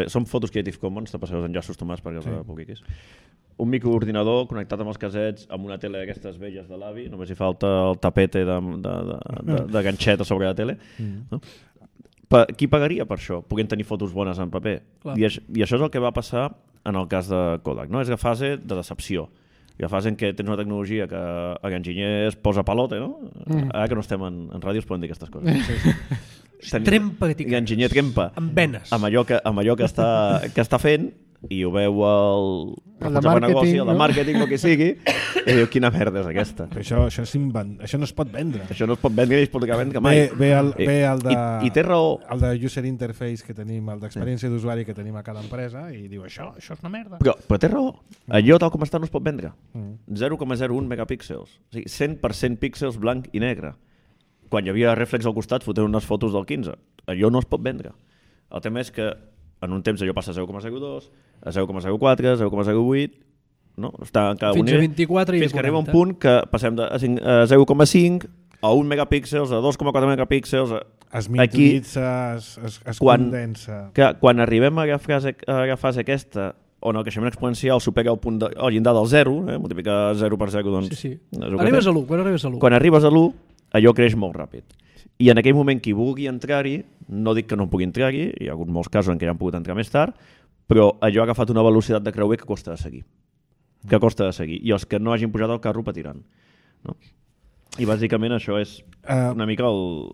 Són fotos Creative Commons, te passeu els enllaços, Tomàs, perquè els publiquis. Un microordinador connectat amb els casets, amb una tele d'aquestes velles de l'avi, només hi falta el tapete de ganxet a sobre la tele. No? Qui pagaria per això, puguent tenir fotos bones en paper? I això és el que va passar en el cas de Kodak. No? És la fase de decepció. La fase en què tens una tecnologia que l'enginyer es posa palote, no? Ara que no estem en ràdio es poden dir aquestes coses. Trempa que t'hi l'enginyer trempa amb venes. Amb allò que està fent i ho veu el de màrqueting, el que sigui, i diu, quina merda és aquesta. Però això no es pot vendre. Això no es pot vendre ni es pot vendre mai. Ve el de... I té raó. El de user interface que tenim, el d'experiència d'usuari que tenim a cada empresa, i diu, això és una merda. Però té raó. Allò tal com està no es pot vendre. 0,01 megapíxels. O sigui, 100% píxels blanc i negre. Quan hi havia Reflex al costat, fotent unes fotos del 15. Allò no es pot vendre. El tema és que en un temps allò passa a 0,02, a 0,04, a 0,08, no? Està en cada fins a 24 i fins que arriba un punt que passem de 0,5 a 1 megapíxels, a 2,4 megapíxels... Es miniaturitza, es condensa... Quan arribem a la fase aquesta, on el creixement exponencial supera el llindar del 0, multiplicar 0 per 0, doncs... Sí. Arribes a l'1, quan arribes a l'1, allò creix molt ràpid. I en aquell moment qui vulgui entrar-hi, no dic que no pugui entrar-hi, hi ha hagut molts casos en què ja han pogut entrar més tard, però allò ha agafat una velocitat de creuer que costa de seguir. I els que no hagin pujat al carro patiran. No? I bàsicament això és una mica el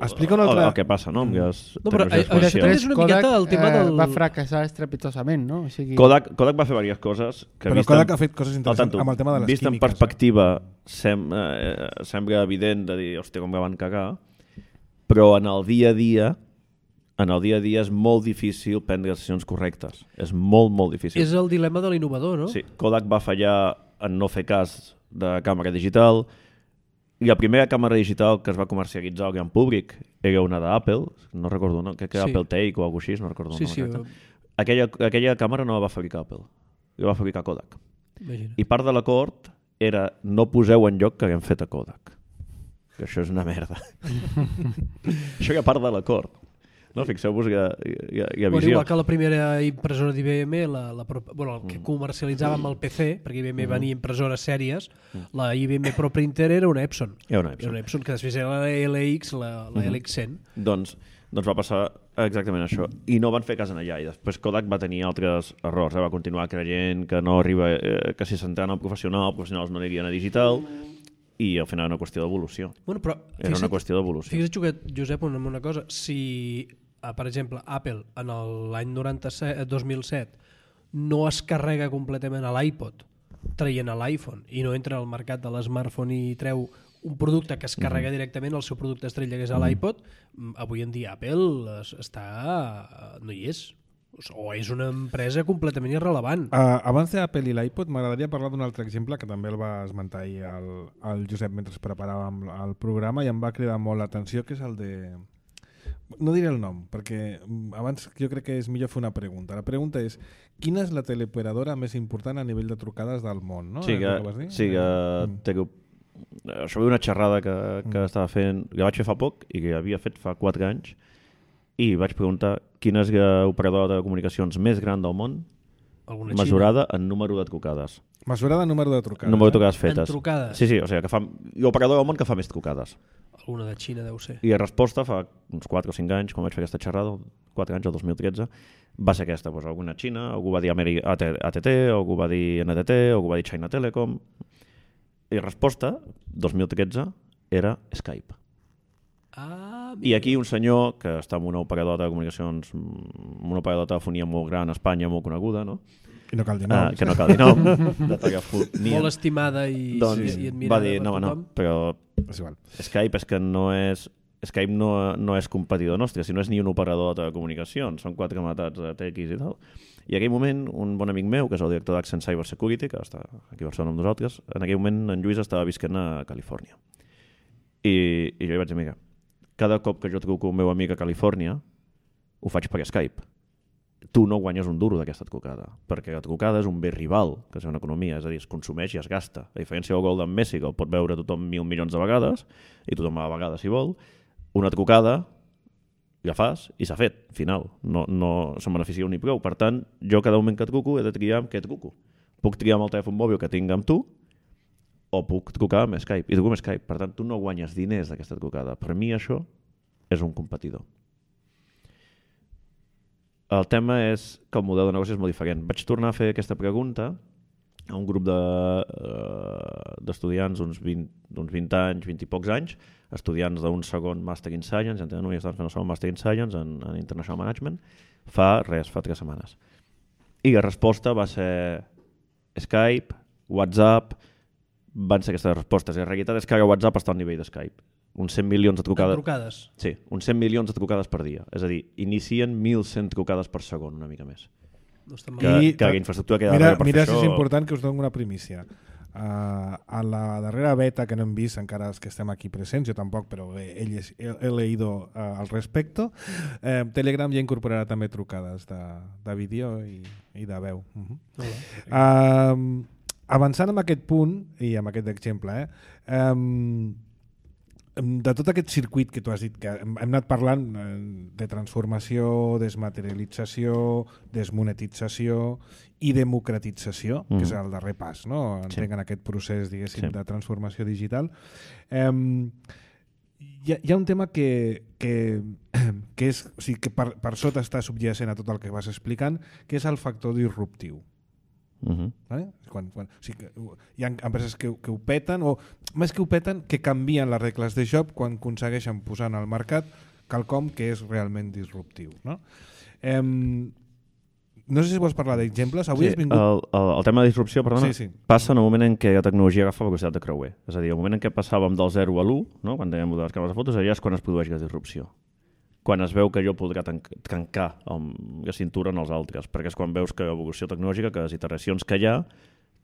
que passa, no? Però és una miqueta el tema del... va fracassar estrepitosament, no? O sigui... Kodak va fer diverses coses. Però Kodak ha fet coses interessants amb el tema de les químiques. Vist en perspectiva, sembla evident de dir, hòstia, com que van cagar, però en el dia a dia és molt difícil prendre decisions correctes. És molt, molt difícil. És el dilema de l'innovador, no? Sí, Kodak va fallar en no fer cas de càmera digital. I la primera càmera digital que es va comercialitzar al gran públic era una d'Apple, no recordo, no? Crec que era Apple Take o alguna cosa així, no recordo. Aquella càmera no la va fabricar Apple, la va fabricar Kodak. Imagina. I part de l'acord era no poseu en lloc que haguem fet a Kodak. Que això és una merda. Això era part de l'acord. No? Fixeu-vos que hi ha visió. Igual que la primera impressora d'IBM, el que comercialitzava amb el PC, perquè IBM venia impressores sèries, la IBM ProPrinter era una Epson. Era una Epson que després era la LX, la LX100. Doncs Doncs va passar exactament això. I no van fer cas en allà. I després Kodak va tenir altres errors. Va continuar creient que no arriba, que si s'entrava en el professional, els professionals no anirien a digital, i al final era una qüestió d'evolució. Bueno, però Era una qüestió d'evolució. Fixa't, Josep, en una cosa. Si, per exemple, Apple en l'any 2007 no es carrega completament a l'iPod traient a l'iPhone i no entra al mercat de l'smartphone i treu un producte que es carrega directament, el seu producte estrella que és l'iPod, avui en dia Apple no hi és. O és una empresa completament irrelevant. Abans d'Apple i l'iPod, m'agradaria parlar d'un altre exemple que també el va esmentar ahir el Josep mentre preparàvem el programa i em va cridar molt l'atenció, que és el de... No diré el nom, perquè abans jo crec que és millor fer una pregunta. La pregunta és, quina és la teleoperadora més important a nivell de trucades del món? No? Sí, això ve una xerrada que estava fent, que vaig fer fa poc i que havia fet fa 4 anys, i vaig preguntar quina és l'operadora de comunicacions més gran del món mesurada en número de trucades. Mesurada en número de trucades. Número de trucades fetes. En trucades? Sí, o sigui, que fa l'operadora del món que fa més trucades. Alguna de Xina deu ser. I la resposta fa uns 4 o 5 anys, quan vaig fer aquesta xerrada, 4 anys, el 2013, va ser aquesta. Doncs alguna Xina, algú va dir ATT, algú va dir NTT, algú va dir China Telecom. I la resposta, 2013, era Skype. I aquí un senyor que està en una operadora de comunicacions, una operadora de telefonia molt gran a Espanya, molt coneguda, no? I no cal dir nom. Que no cal dir nom. Molt estimada i admirada va dir, per tothom. però És igual. Skype és que no és... Skype no és competidor nostre, si no és ni un operador de comunicacions, són 4 matats de TX i tal. I en aquell moment, un bon amic meu, que és el director d'Accent Cyber Security, que està aquí a Barcelona amb nosaltres, en aquell moment en Lluís estava visquent a Califòrnia. I jo li vaig dir, mira, cada cop que jo truco un meu amic a Califòrnia, ho faig per Skype. Tu no guanyes un duro d'aquesta trucada, perquè la trucada és un bé rival, que és una economia, és a dir, es consumeix i es gasta. A diferència del gol d'en Messi, que el pot veure tothom 1.000 milions de vegades, i tothom a la vegada si vol, una trucada ja fas i s'ha fet, final. No se'n beneficia ni prou. Per tant, jo cada moment que truco he de triar amb què truco. Puc triar amb el telèfon mòbil que tinc amb tu o puc trucar amb Skype. I truco amb Skype. Per tant, tu no guanyes diners d'aquesta trucada. Per mi això és un competidor. El tema és que el model de negoci és molt diferent. Vaig tornar a fer aquesta pregunta a un grup d'estudiants d'uns 20 anys, 20 i pocs anys, estudiants d'un segon Master in Science, i estan fent el segon Master in Science en International Management, fa 3 setmanes. I la resposta va ser Skype, WhatsApp, van ser aquestes respostes. I la realitat és que ara WhatsApp està al nivell de Skype. Uns 100 milions de trucades. Sí, uns 100 milions de trucades per dia. És a dir, inicien 1.100 trucades per segon, una mica més. Que la infraestructura queda darrere per fer això... Mira, és important que us dono una primícia. A la darrera beta que no hem vist, encara els que estem aquí presents, jo tampoc, però he leído al respecte, Telegram ja incorporarà també trucades de vídeo i de veu. Avançant amb aquest punt, i amb aquest exemple, de tot aquest circuit que tu has dit, que hem anat parlant de transformació, desmaterialització, desmonetització i democratització, que és el darrer pas, no? Entenc en aquest procés, diguéssim, de transformació digital. Hi ha un tema que és, o sigui, que per sota està subjacent a tot el que vas explicant, que és el factor disruptiu. Vale? O sigui, hi ha empreses que ho peten, o més que ho peten, que canvien les regles de joc quan aconsegueixen posar en el mercat quelcom que és realment disruptiu, no? No sé si vols parlar d'exemples. Avui has vingut... El tema de disrupció, perdona, passa en el moment en què la tecnologia agafa velocitat de creuer. És a dir, el moment en què passàvem del 0 a l'1, no? Quan dèiem de les càmeres de fotos, allà és quan es produeix la disrupció. Quan es veu que jo podrà trencar la cintura en els altres, perquè és quan veus que l'evolució tecnològica, que les iteracions que hi ha,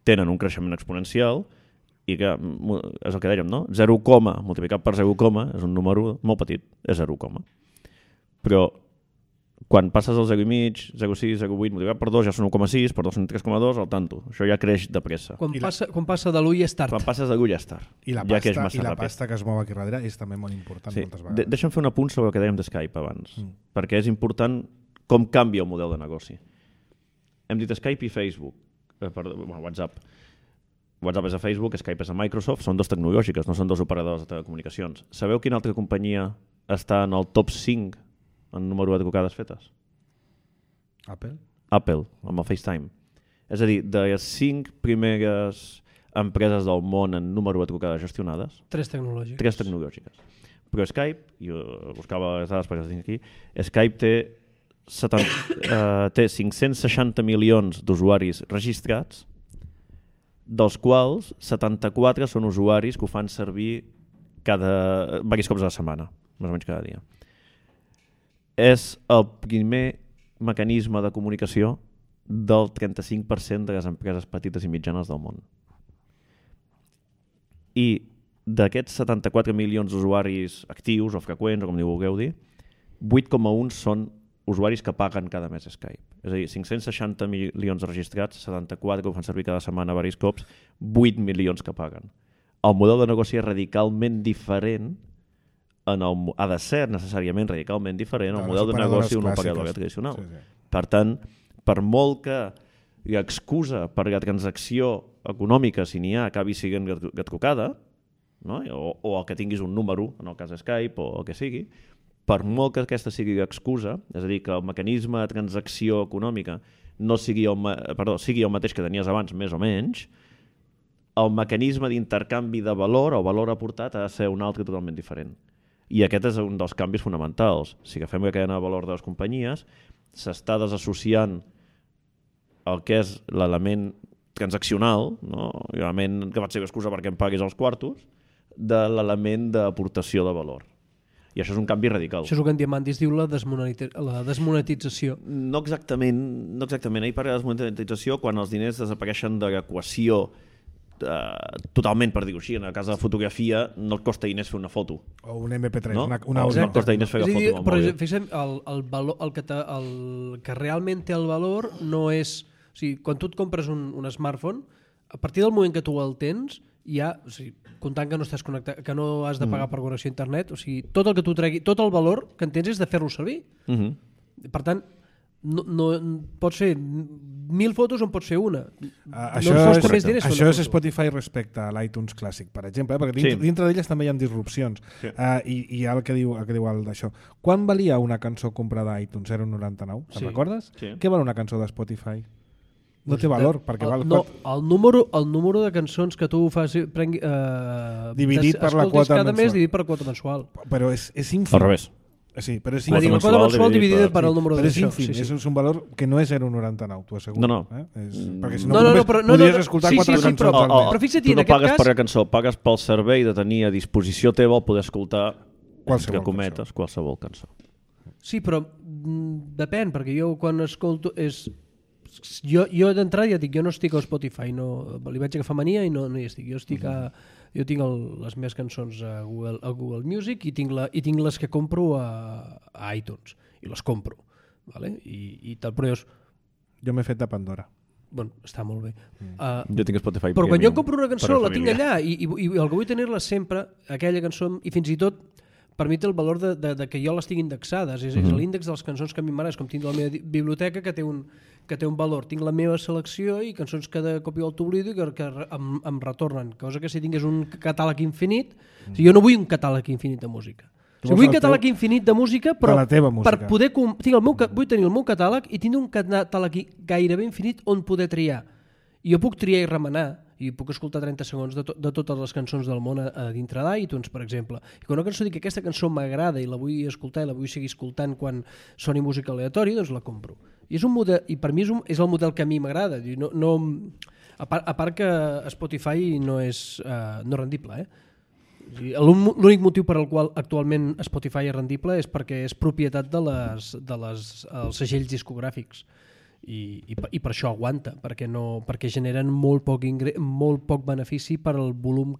tenen un creixement exponencial i que, és el que dèiem, no? 0, multiplicat per 0, és un número molt petit, és 0, però quan passes al 0,5, 0,6, 0,8, multiplicat per 2 ja són 1,6, per 2 són 3,2, al tanto. Això ja creix de pressa. Quan passa de l'1 ja és tard. Quan passes de l'1 ja és tard. I la pasta que es mou aquí darrere és també molt important moltes vegades. Deixa'm fer un apunt sobre el que dèiem de Skype abans, perquè és important com canvia el model de negoci. Hem dit Skype i Facebook, WhatsApp. WhatsApp és a Facebook, Skype és a Microsoft, són 2 tecnològiques, no són 2 operadors de telecomunicacions. Sabeu quina altra companyia està en el top 5 en número de trucades fetes? Apple? Apple, amb el FaceTime. És a dir, de les 5 primeres empreses del món en número de trucades gestionades, 3 tecnològiques. 3 tecnològiques. Però Skype, jo buscava les dades perquè les tinc aquí, Skype té 560 milions d'usuaris registrats, dels quals 74 són usuaris que ho fan servir diversos cops a la setmana, més o menys cada dia. És el primer mecanisme de comunicació del 35% de les empreses petites i mitjanes del món. I d'aquests 74 milions d'usuaris actius o freqüents, o com vulgueu dir, 8,1 són usuaris que paguen cada mes Skype. És a dir, 560 milions registrats, 74 que ho fan servir cada setmana diversos cops, 8 milions que paguen. El model de negoci és radicalment diferent, ha de ser necessàriament radicalment diferent al model de negoci d'una operadora tradicional. Sí. Per tant, per molt que l'excusa per la transacció econòmica, si n'hi ha, acabi sent la trucada, no? o el que tinguis un número, en el cas de Skype o el que sigui, per molt que aquesta sigui l'excusa, és a dir, que el mecanisme de transacció econòmica no sigui sigui el mateix que tenies abans, més o menys, el mecanisme d'intercanvi de valor o valor aportat ha de ser un altre totalment diferent. I aquest és un dels canvis fonamentals. Si agafem la cadena de valor de les companyies, s'està desassociant el que és l'element transaccional, no? L'element que pot ser l'excusa perquè em paguis els quartos, de l'element d'aportació de valor. I això és un canvi radical. Això és el que en Diamandis diu la desmonetització. No exactament. Ell parla de desmonetització quan els diners desapareixen de l'equació totalment, per dir-ho així. En el cas de fotografia no et costa diners fer una foto. O un MP3, no? una no et costa diners fer la foto. Però fixem, el que realment té el valor no és... O sigui, quan tu et compres un smartphone, a partir del moment que tu el tens, ja, o sigui, comptant que no estàs connectat, que no has de pagar per connexió a internet, o sigui, tot el que tu tregui, tot el valor que en tens és de fer-lo servir. Per tant, no pots fer 1.000 fotos on pots fer una. Això és Spotify respecte a l'iTunes clàssic, per exemple, perquè dintre d'elles també hi ha disrupcions. Sí. I hi ha el que diu d'això. Quan valia una cançó comprada a iTunes? Era un 99, te'n recordes? Sí. Què val una cançó de Spotify? No té valor, perquè val... No, el número de cançons que tu fas dividit per la quota cada mes dividit per la quota mensual. Però és ínfim. Al revés. Sí, però és ínfim. La quota mensual dividida per el número d'això. Però és ínfim, és un valor que no és 0,99, t'ho asseguro. No. Perquè si no podries escoltar 4 cançons al mes. Però fixa't, tu no pagues per la cançó, pagues pel servei de tenir a disposició teva el poder escoltar qualsevol cançó. Sí, però depèn, perquè jo quan escolto... Jo d'entrada ja dic, jo no estic a Spotify, li vaig agafar mania i no hi estic. Jo tinc les meves cançons a Google Music i tinc les que compro a iTunes i les compro, vale? I tal, però jo m'he fet de Pandora. Bueno, està molt bé. Jo tinc Spotify. Però quan jo compro una cançó la tinc allà i el que vull tenir-la sempre, aquella cançó, i fins i tot per mi té el valor de que jo les tinc indexades. És l'índex de les cançons que a mi m'agrada. És com tinc la meva biblioteca que té un valor. Tinc la meva selecció i cançons que de cop i volta oblido i que em retornen. Cosa que si tingués un catàleg infinit... Jo no vull un catàleg infinit de música. Vull un catàleg infinit de música, però per poder... Vull tenir el meu catàleg i tindre un catàleg gairebé infinit on poder triar. I jo puc triar i remenar i puc escoltar 30 segons de totes les cançons del món a dintre d'iTunes, per exemple. I quan una cançó dic que aquesta cançó m'agrada i la vull escoltar i la vull seguir escoltant quan soni música aleatòria, doncs la compro. I per mi és el model que a mi m'agrada. A part que Spotify no és rendible. L'únic motiu per al qual actualment Spotify és rendible és perquè és propietat dels segells discogràfics. I per això aguanta, perquè generen molt poc benefici per al volum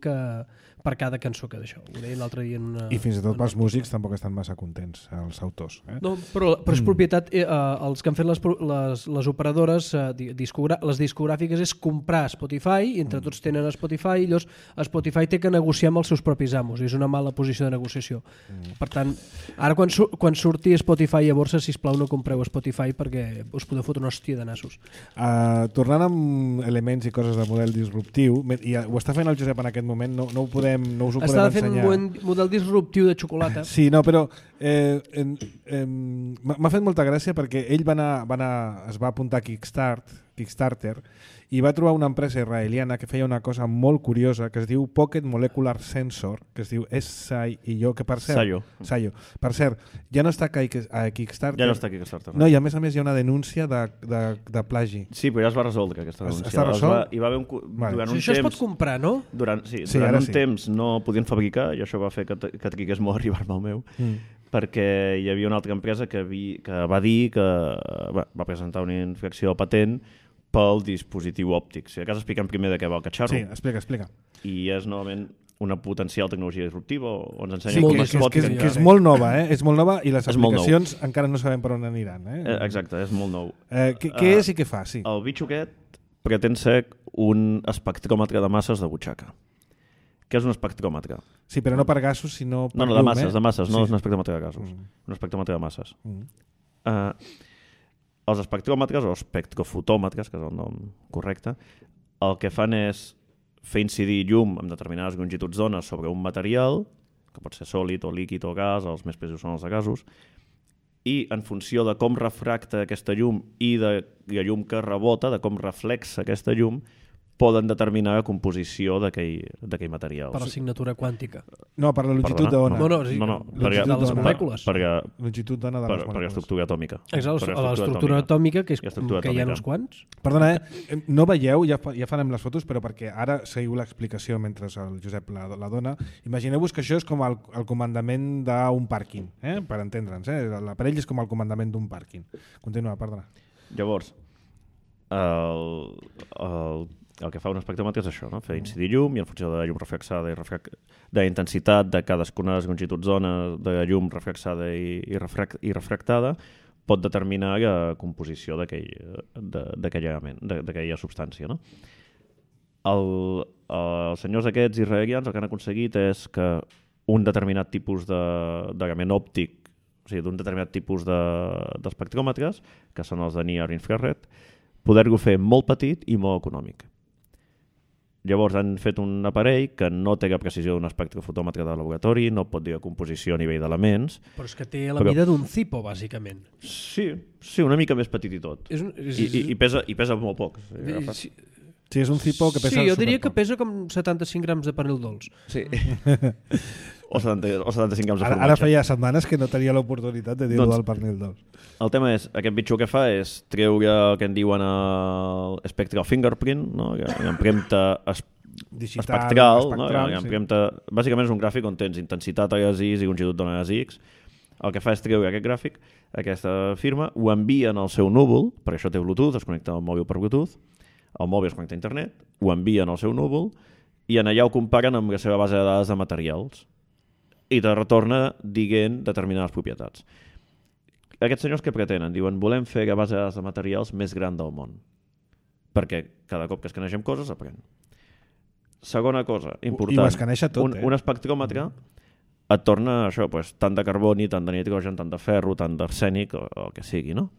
per cada cançó que d'això. Ho deia l'altre dia I fins i tot els músics tampoc estan massa contents, els autors. No, però és propietat, els que han fet les operadores, les discogràfiques, és comprar Spotify, i entre tots tenen Spotify, i llavors Spotify té que negociar amb els seus propis amos, i és una mala posició de negociació. Per tant, ara quan surti Spotify a borsa, sisplau no compreu Spotify perquè us podeu fotre una hòstia de nassos. Tornant amb elements i coses de model disruptiu, i ho està fent el Josep en aquest moment, no us ho podem ensenyar. Estava fent un model disruptiu de xocolata. Sí, no, però m'ha fet molta gràcia perquè ell es va apuntar a Kickstarter i va trobar una empresa israeliana que feia una cosa molt curiosa que es diu Pocket Molecular Sensor, que es diu SIO, que per cert... Sayo. Per cert, ja no està a Kickstarter. Ja no està a Kickstarter. No, i a més hi ha una denúncia de plagi. Sí, però ja es va resoldre aquesta denúncia. Està resolt? Hi va haver durant un això temps... es pot comprar, no? Durant un temps no podien fabricar i això va fer que trigués molt a arribar-me al meu. Perquè hi havia una altra empresa que va dir que va presentar una infracció patent pel dispositiu òptic. Si de cas expliquem primer de què va el catxarro. Sí, explica. I és novament una potencial tecnologia disruptiva on ens ensenya com es pot... Que és molt nova, és molt nova i les aplicacions encara no sabem per on aniran. Exacte, és molt nou. Què és i què fa? Sí. El bitxo aquest pretén ser un espectròmetre de masses de butxaca. Què és un espectròmetre? Sí, però no per gasos, sinó per llum. No, de masses, no és un espectròmetre de gasos. Un espectròmetre de masses. Els espectròmetres, o espectrofotòmetres, que és el nom correcte, el que fan és fer incidir llum amb determinades longituds d'ona sobre un material, que pot ser sòlid o líquid o gas, els més precisos són els de gasos, i en funció de com refracta aquesta llum i de la llum que rebota, de com reflexa aquesta llum, poden determinar la composició d'aquell material. Per la signatura quàntica. No, per la longitud d'ona. No, de les molècules. Longitud d'ona de les molècules. Per l'estructura atòmica. Exacte, l'estructura atòmica, que hi ha uns quants. Perdona, no veieu, ja farem les fotos, però perquè ara seguiu l'explicació mentre el Josep la dona. Imagineu-vos que això és com el comandament d'un pàrquing, per entendre'ns. L'aparell és com el comandament d'un pàrquing. Continua, perdona. Llavors, el que fa un espectròmetre és això, no? Fer incidir llum i en funció de la llum reflexada i de la intensitat de cadascuna de les longituds d'ona de la llum reflexada i refractada pot determinar la composició d'aquell element, d'aquella substància, no? Els senyors aquests israelians el que han aconseguit és que un determinat tipus d'element òptic, o sigui, d'un determinat tipus d'espectròmetres, que són els de near infrared, poder-lo fer molt petit i molt econòmic. Llavors han fet un aparell que no té la precisió d'un espectrofotòmetre de laboratori, no pot dir la composició a nivell d'elements. Però és que té la mida d'un Zippo, bàsicament. Sí, una mica més petit i tot. I pesa molt poc. Sí, és un Zippo que pesa... Sí, jo diria que pesa com 75 grams de panell dolç. Sí. O 75 grams de formatge. Ara feia setmanes que no tenia l'oportunitat de dir-ho del pernil dolç. El tema és, aquest bitxo que fa és treure el que en diuen spectral fingerprint, no? L'empremta espectral, no? Bàsicament és un gràfic on tens intensitat a les Is i longitud d'ona a les X. El que fa és treure aquest gràfic, aquesta firma, ho envien al seu núvol, per això té Bluetooth, es connecta al mòbil per Bluetooth, el mòbil es connecta a internet, ho envien al seu núvol i en allà ho comparen amb la seva base de dades de materials i te retorna dient determinades propietats. Aquests senyors què pretenen? Diuen, volem fer la base de dades de materials més gran del món. Perquè cada cop que escanegem coses aprèn. Segona cosa important. I ho escaneja tot, un espectròmetre et torna això, tant de carboni, tant de nitrogen, tant de ferro, tant d'arsènic, o el que sigui, no?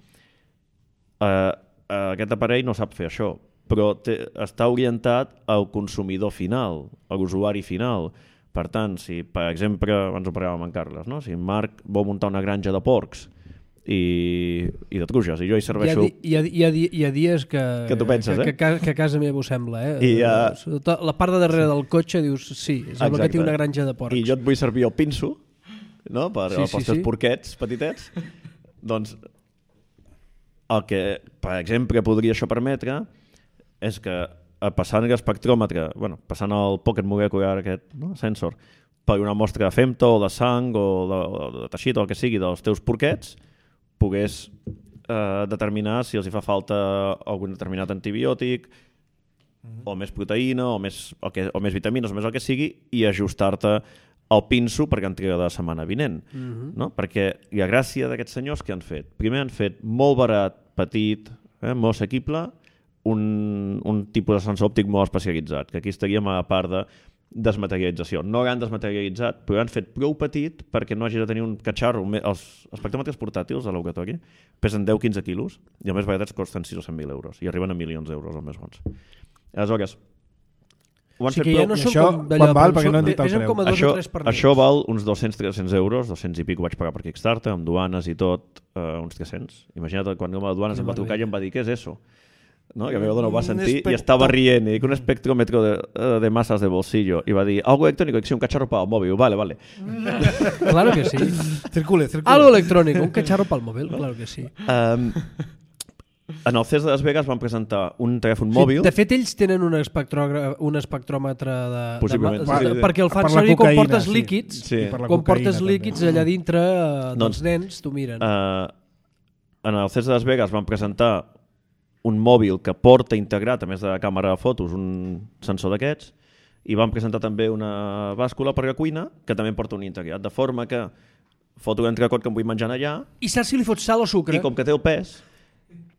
Aquest aparell no sap fer això, però està orientat al consumidor final, a l'usuari final. Per tant, si, per exemple, abans ho parlàvem amb Carles, no? Si Marc vol muntar una granja de porcs i de truges, i jo hi serveixo... Hi ha dies que tu penses, que a casa meva ho sembla, la part de darrere del cotxe dius, sí, sembla que té una granja de porcs. I jo et vull servir el pinso, no? Pels teus porquets petitets. Doncs el que, per exemple, podria això permetre és que passant l'espectròmetre, passant el Pocket Molecular aquest sensor per una mostra de femto o de sang o de teixit o el que sigui dels teus porquets, pogués determinar si els hi fa falta algun determinat antibiòtic o més proteïna o més vitamines o més el que sigui i ajustar-te el pinso perquè entrega de la setmana vinent. No? Perquè la gràcia d'aquests senyors que han fet? Primer han fet molt barat, petit, molt assequible, un tipus de sensor òptic molt especialitzat, que aquí estaríem a la part de desmaterialització. No l'han desmaterialitzat, però l'han fet prou petit perquè no hagi de tenir un catxarro. Els espectròmetres portàtils a laboratori pesen 10-15 quilos i els més baratets costen 6 o 100.000 euros i arriben a milions d'euros els més bons. Aleshores, ho han fet que ja prou... no I són això com d'allò, quan val? Perquè no han dit el pesen preu. com a 2 o 3 per Això val uns 200-300 euros, 200 i pico vaig pagar per Kickstarter, amb duanes i tot, uns 300. Imagina't quan a duanes em va trucar i em va dir, què és això? ¿no? Que a mi ho va sentir i estava rient i dic, un espectrómetro de masas de bolsillo i va dir, algo electrónico, que sí, un cacharro para el móvil, vale. Claro que sí. Circule. Algo electrónico, un cacharro para el móvil, claro que sí. En el CES de Las Vegas van presentar un telèfon mòbil. De fet, ells tenen un espectròmetre Possiblement. perquè el fan per la servir cocaïna, quan portes sí. líquids. Sí. I per la Quan cocaïna, portes també. líquids allà dintre dels nens, t'ho miren. En el CES de Las Vegas van presentar un mòbil que porta integrat, a més de càmera de fotos, un sensor d'aquests, i van presentar també una bàscula per la cuina que també porta un integrat, de forma que foto l'entrecot que em vull menjar allà I saps si li fots sal o sucre? i com que té el pes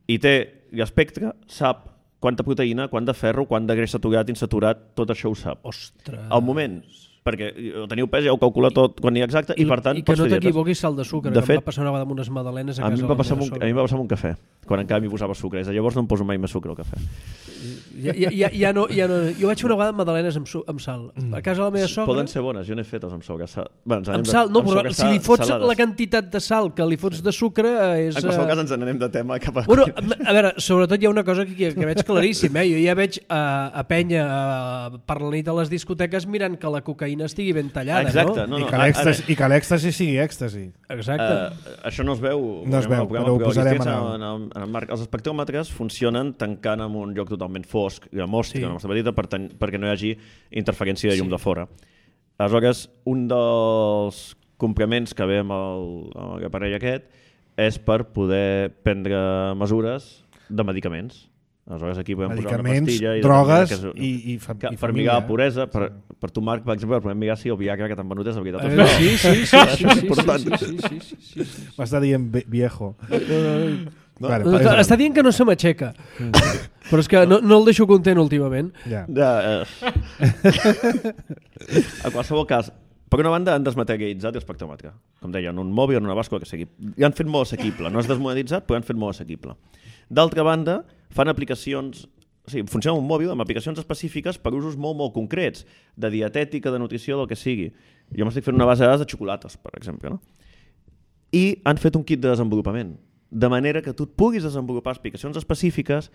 i té l'espectre, sap quanta proteïna, quant de ferro, quant de greix saturat, insaturat, tot això ho sap. Ostres. Al moment, perquè teniu pes, ja ho calcula tot quan hi ha exacte, i per tant I que pots no fer dietes. t'equivoquis sal de sucre, De que fet, em va passar una vegada amb unes magdalenes a A mi casa. em va passar amb un cafè, quan encara m'hi posava sucre. Des de llavors no em poso mai més sucre al cafè. Ja no. Jo vaig fer una vegada amb magdalenes amb sal. A casa de la meva sogra... Poden ser bones, jo n'he fetes amb sogra. Amb sal, no, però si li fots la quantitat de sal que li fots de sucre és... En qualsevol cas ens n'anem de tema cap a... Bueno, a veure, sobretot hi ha una cosa que veig claríssim, jo ja veig a penya per la nit a les discoteques mirant que la cocaïna estigui ben tallada, Exacte, no? no. I que l'èxtasi sigui èxtasi. Exacte. Això no es veu. No es veu, però ho posarem en el marc. Els espectròmetres funcionen tancant en un lloc totalment fosc i de mostra, una mostra petita, perquè no hi hagi interferència de llum de fora. Aleshores, un dels complements que ve amb l'aparell aquest és per poder prendre mesures de medicaments. Aleshores aquí podem posar una pastilla drogues i per mirar la puresa. Per tu, Marc, per exemple, podem mirar si el Viagra que t'han venut és de veritat. Sí. M'està dient viejo. Està dient que no se m'aixeca, però és que no el deixo content últimament. A qualsevol cas, per una banda han desmaterialitzat l'espectròmetre, com deia, en un mòbil, en una bàscula que sigui. I han fet molt assequible, no és desmonetitzat, però han fet molt assequible. D'altra banda, fan aplicacions, o sigui, funciona un mòbil amb aplicacions específiques per usos molt, molt concrets, de dietètica, de nutrició, del que sigui. Jo m'estic fent una base de dades de xocolates, per exemple, no? I han fet un kit de desenvolupament, de manera que tu et puguis desenvolupar aplicacions específiques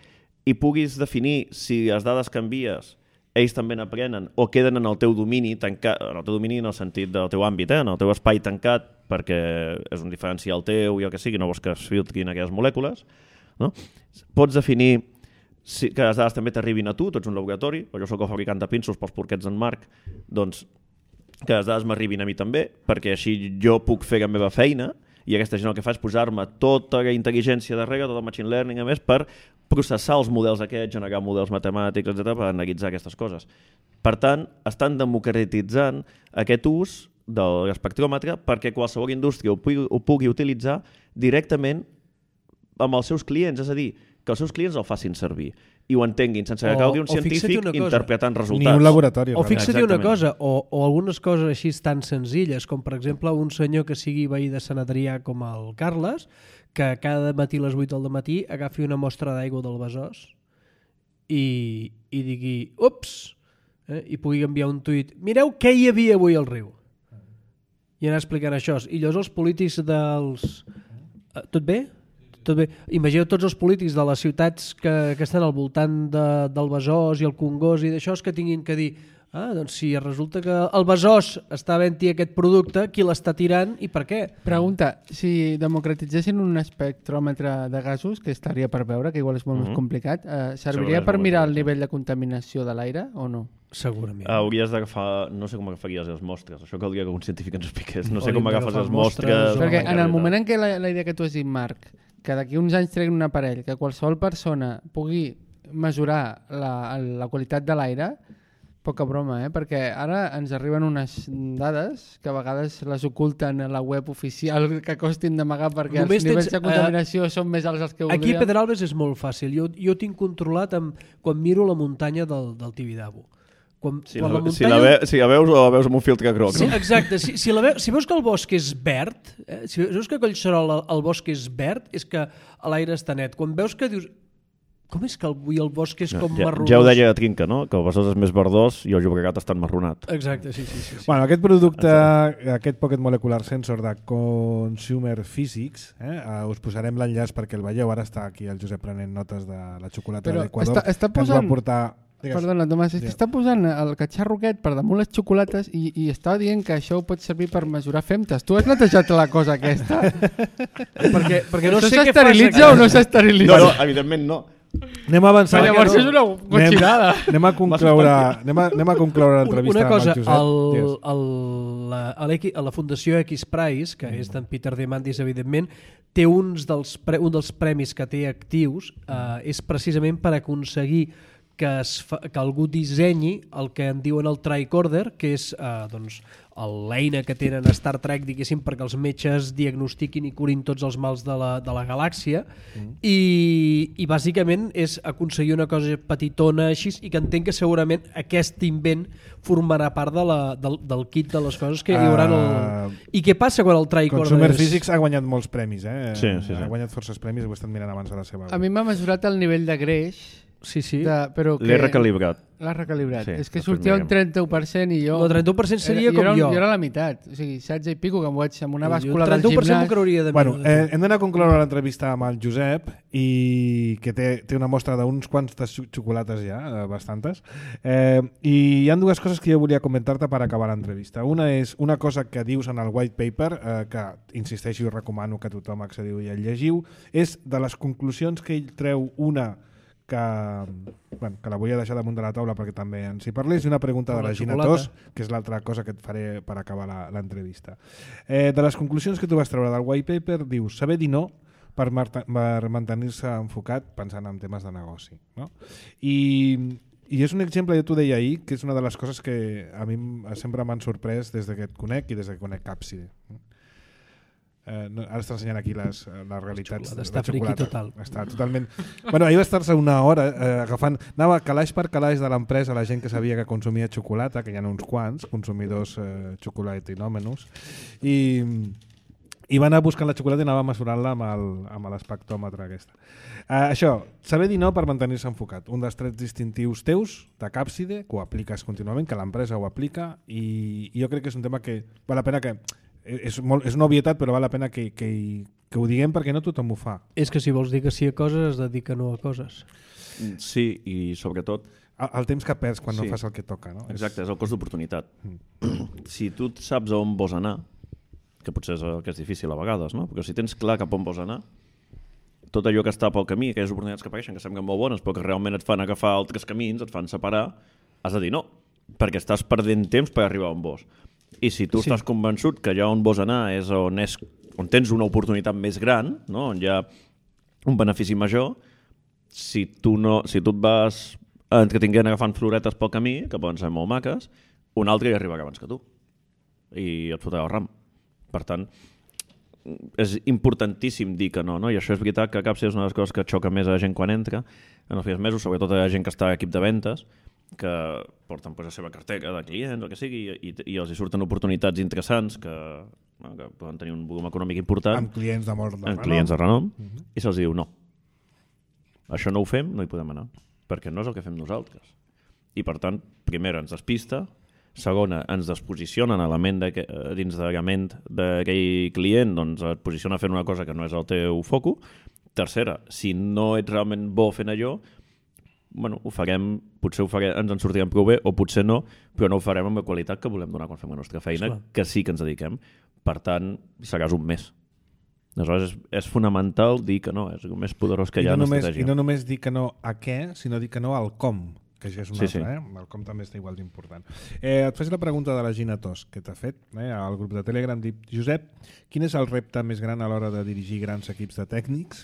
i puguis definir si les dades que envies ells també n'aprenen o queden en el teu domini tancat, en el teu domini en el sentit del teu àmbit, en el teu espai tancat, perquè és un diferencial teu i el que sigui, no vols que es filtrin aquelles molècules, no? Pots definir que les dades també t'arribin a tu, tu ets un laboratori, o jo soc el fabricant de pinços pels porquets d'en Marc, doncs que les dades m'arribin a mi també, perquè així jo puc fer la meva feina i aquesta gent el que fa és posar-me tota la intel·ligència darrere, tot el machine learning, a més, per processar els models aquests, generar models matemàtics, etc., per analitzar aquestes coses. Per tant, estan democratitzant aquest ús de l'espectròmetre perquè qualsevol indústria ho pugui utilitzar directament amb els seus clients, és a dir, que els seus clients el facin servir i ho entenguin sense que calgui un científic interpretant resultats. Ni un laboratori. O fixa't una cosa, o algunes coses així tan senzilles, com per exemple un senyor que sigui veí de Sant Adrià com el Carles, que cada matí a les 8 del matí agafi una mostra d'aigua del Besòs i digui, ups, i pugui enviar un tuit, mireu què hi havia avui al riu. I anar explicant això. I llavors els polítics dels... Tot bé? Tot bé. Imagineu tots els polítics de les ciutats que estan al voltant del Besòs i el Congost i d'això que tinguin que dir doncs si resulta que el Besòs està havent-hi aquest producte, qui l'està tirant i per què? Pregunta, si democratitzessin un espectròmetre de gasos, que estaria per veure, que igual és molt més complicat, serviria per mirar el nivell de contaminació de l'aire o no? Segurament. Hauries d'agafar... No sé com agafaries les mostres. Això caldria que un científic ens expliqués. No sé com agafes les mostres... Perquè en el moment en què la idea que tu has dit, Marc, que d'aquí uns anys treguin un aparell, que qualsevol persona pugui mesurar la qualitat de l'aire, poca broma, perquè ara ens arriben unes dades que a vegades les oculten a la web oficial que costin d'amagar perquè els nivells de contaminació són més alts dels que voldríem. Aquí a Pedralbes és molt fàcil. Jo tinc controlat quan miro la muntanya del Tibidabo. Quan Si la la muntanya... veus o la veus amb un filtre groc. Sí, No? exacte. Si veus que el bosc és verd, si veus que a Collserola el bosc és verd, és que l'aire està net. Quan veus que dius... Com és que avui el bosc és com marronós? Ja ho deia Trinca, no? Que el Besòs és més verdós i el Llobregat està enmarronat. Exacte, sí. Bueno, aquest producte, aquest Pocket Molecular Sensor de Consumer Physics, us posarem l'enllaç perquè el veieu. Ara està aquí el Josep prenent notes de la xocolata Però de l'Equador, està que ens va posant- portar... Digues. Perdona, Tomàs, és que està posant el catxarro aquest per damunt les xocolates i estava dient que això ho pot servir per mesurar femtes. Tu has netejat la cosa aquesta? perquè no Això sé què fas... s'esterilitza o no s'esterilitza? No, evidentment no. Anem a avançar. Però llavors és una cotxinada. Anem a concloure l'entrevista Una cosa, amb el Josep. a la Fundació X-Prize, que és d'en Peter Diamandis, evidentment, té un dels premis que té actius, és precisament per aconseguir que algú dissenyi el que en diuen el tricorder, que és l'eina que tenen a Star Trek, diguéssim, perquè els metges diagnostiquin i curin tots els mals de la galàxia, i bàsicament és aconseguir una cosa petitona així, i que entenc que segurament aquest invent formarà part del kit de les coses que hi haurà I què passa quan el tricorder Consumer Physics ha guanyat molts premis, Sí. Ha guanyat forces premis, ho he estat mirant abans a la seva. A mi m'ha mesurat el nivell de greix, Sí. però que... L'he recalibrat. L'ha recalibrat. Sí, És que després sortia un mirem. 31% i jo... El 31% seria com jo. Jo era la meitat, o sigui, 16 i pico, que em vaig amb una Jo bàscula el del 31% m'ho gimnàs. creuria de mi. Bueno, hem d'anar a concloure l'entrevista amb el Josep, i que té una mostra d'uns quants de xocolates ja, bastantes, i hi ha dues coses que jo volia comentar-te per acabar l'entrevista. Una és una cosa que dius en el white paper, que insisteixo i recomano que tothom accediu i el llegiu, és de les conclusions que ell treu una que la volia deixar damunt de la taula perquè també ens hi parlés, i una pregunta de la Gina Tos, que és l'altra cosa que et faré per acabar l'entrevista. De les conclusions que tu vas treure del white paper, dius saber dir no per mantenir-se enfocat pensant en temes de negoci. No? I és un exemple, jo t'ho deia ahir, que és una de les coses que a mi sempre m'han sorprès des que et conec i des que conec Capside. Ara està ensenyant aquí les realitats. Està friqui total. Està totalment... Bueno, ahir va estar-se una hora agafant... Anava calaix per calaix de l'empresa la gent que sabia que consumia xocolata, que hi ha uns quants consumidors xocolatinòmenos, i va anar buscant la xocolata i anava mesurant-la amb l'espectròmetre aquesta. Això, saber dir no per mantenir-se enfocat. Un dels trets distintius teus, de Capside, que ho apliques contínuament, que l'empresa ho aplica, i jo crec que és un tema que val la pena que... És una obvietat, però val la pena que ho diguem perquè no tothom ho fa. És que si vols dir que sí a coses, has de dir que no a coses. Sí, i sobretot... El temps que perds quan no fas el que toca. No? Exacte, és el cost d'oportunitat. Si tu saps on vols anar, que potser és el que és difícil a vegades, no? Perquè si tens clar cap on vols anar, tot allò que està pel camí, aquelles oportunitats que apareixen, que semblen molt bones, però que realment et fan agafar altres camins, et fan separar, has de dir no, perquè estàs perdent temps per arribar on vols. I si tu estàs convençut que allà on vols anar és on tens una oportunitat més gran, no? On hi ha un benefici major, si tu et vas entretinguent agafant floretes pel camí, que poden ser molt maques, un altre hi arribarà abans que tu i et fotrà el ram. Per tant, és importantíssim dir que no? I això és veritat que Capside és una de les coses que xoca més a la gent quan entra en els primers mesos, sobretot a la gent que està a l'equip de ventes, que porten la seva cartera de clients, el que sigui, i els hi surten oportunitats interessants que poden tenir un volum econòmic important amb clients de molt de renom. Amb clients de renom, i se'ls diu no. Això no ho fem, no hi podem anar, perquè no és el que fem nosaltres. I per tant, primera, ens despista, segona, ens desposiciona dins de la ment d'aquell client, doncs et posiciona fent una cosa que no és el teu foco. Tercera, si no ets realment bo fent allò, ho farem, potser ens en sortirem prou bé o potser no, però no ho farem amb la qualitat que volem donar quan fem la nostra feina, que sí que ens dediquem. Per tant, seràs un més. Aleshores, és fonamental dir que no, és el més poderós que hi ha en estratègia. I no només dir que no a què, sinó dir que no al com, que això és una altra. El com també està igual d'important. Et faig la pregunta de la Gina Tos, que t'ha fet al grup de Telegram. Dic, Josep, quin és el repte més gran a l'hora de dirigir grans equips de tècnics?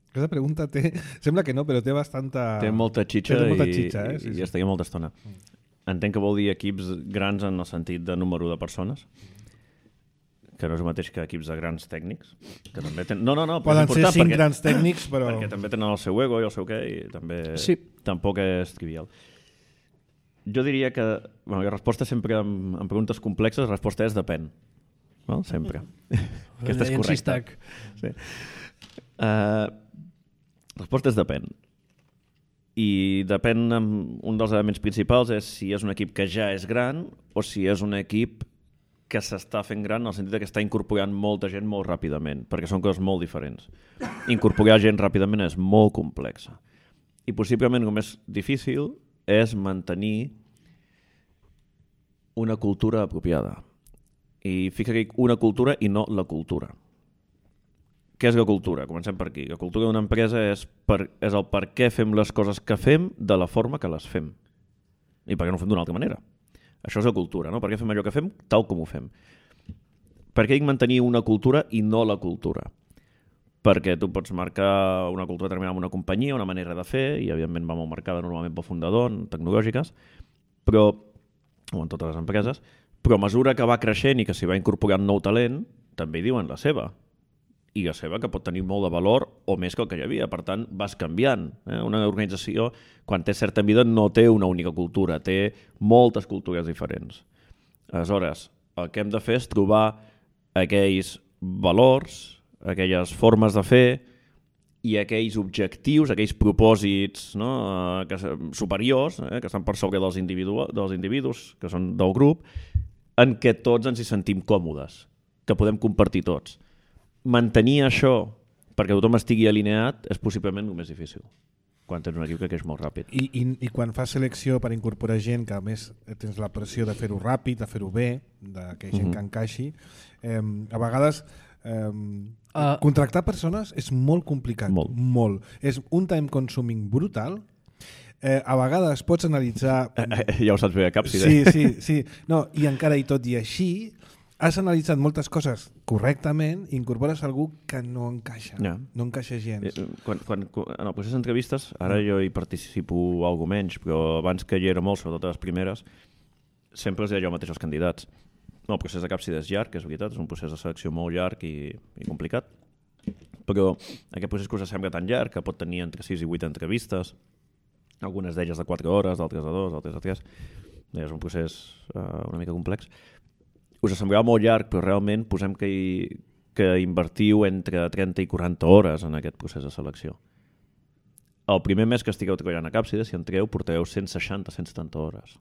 Aquesta pregunta sembla que no, però té bastanta... Té molta xitxa, i estaria molta estona. Entenc que vol dir equips grans en el sentit de número de persones, que no és el mateix que equips de grans tècnics, que també poden ser 5 grans tècnics, però... Perquè també tenen el seu ego i el seu què, i també tampoc és trivial. Jo diria que la resposta sempre en preguntes complexes, la resposta és depèn. No? Sempre. Aquesta és correcta. Sí. La resposta és depèn. I depèn, un dels elements principals és si és un equip que ja és gran o si és un equip que s'està fent gran en el sentit que està incorporant molta gent molt ràpidament, perquè són coses molt diferents. Incorporar gent ràpidament és molt complexa. I possiblement el més difícil és mantenir una cultura apropiada. I fica-hi una cultura i no la cultura. Què és la cultura? Comencem per aquí. La cultura d'una empresa és el per què fem les coses que fem de la forma que les fem. I per què no ho fem d'una altra manera. Això és la cultura, no? Per què fem allò que fem tal com ho fem. Per què dic mantenir una cultura i no la cultura? Perquè tu pots marcar una cultura determinada en una companyia, una manera de fer, i evidentment va molt marcada normalment pel fundador, en tecnològiques, però, o en totes les empreses, però a mesura que va creixent i que s'hi va incorporant nou talent, també hi diuen la seva. I la seva que pot tenir molt de valor o més que el que hi havia. Per tant, vas canviant. Una organització, quan té certa mida, no té una única cultura, té moltes cultures diferents. Aleshores, el que hem de fer és trobar aquells valors, aquelles formes de fer i aquells objectius, aquells propòsits, no? Superiors, que estan per sobre dels individus, que són del grup, en què tots ens hi sentim còmodes, que podem compartir tots. Mantenir això perquè tothom estigui alineat és possiblement el més difícil quan tens un equip que creix molt ràpid. I quan fas selecció per incorporar gent, que a més tens la pressió de fer-ho ràpid, de fer-ho bé, que gent que encaixi, a vegades contractar persones és molt complicat. Molt. És un time consuming brutal. A vegades pots analitzar... Ja ho saps bé a Capside. Sí. No, i encara i tot i així has analitzat moltes coses correctament i incorpores algú que no encaixa, no encaixa gens. En el procés d'entrevistes, ara jo hi participo algo menys, però abans que hi era molt, sobretot a les primeres, sempre els deia jo mateix als candidats. El procés de Capside és llarg, és veritat, és un procés de selecció molt llarg i complicat, però aquest procés que us sembla tan llarg, que pot tenir entre 6 i 8 entrevistes, algunes d'elles de 4 hores, d'altres de 2, d'altres de 3, és un procés una mica complex. Us semblava molt llarg, però realment posem que invertiu entre 30 i 40 hores en aquest procés de selecció. El primer mes que estigueu treballant a Capside, si entreu, portareu 160-170 hores.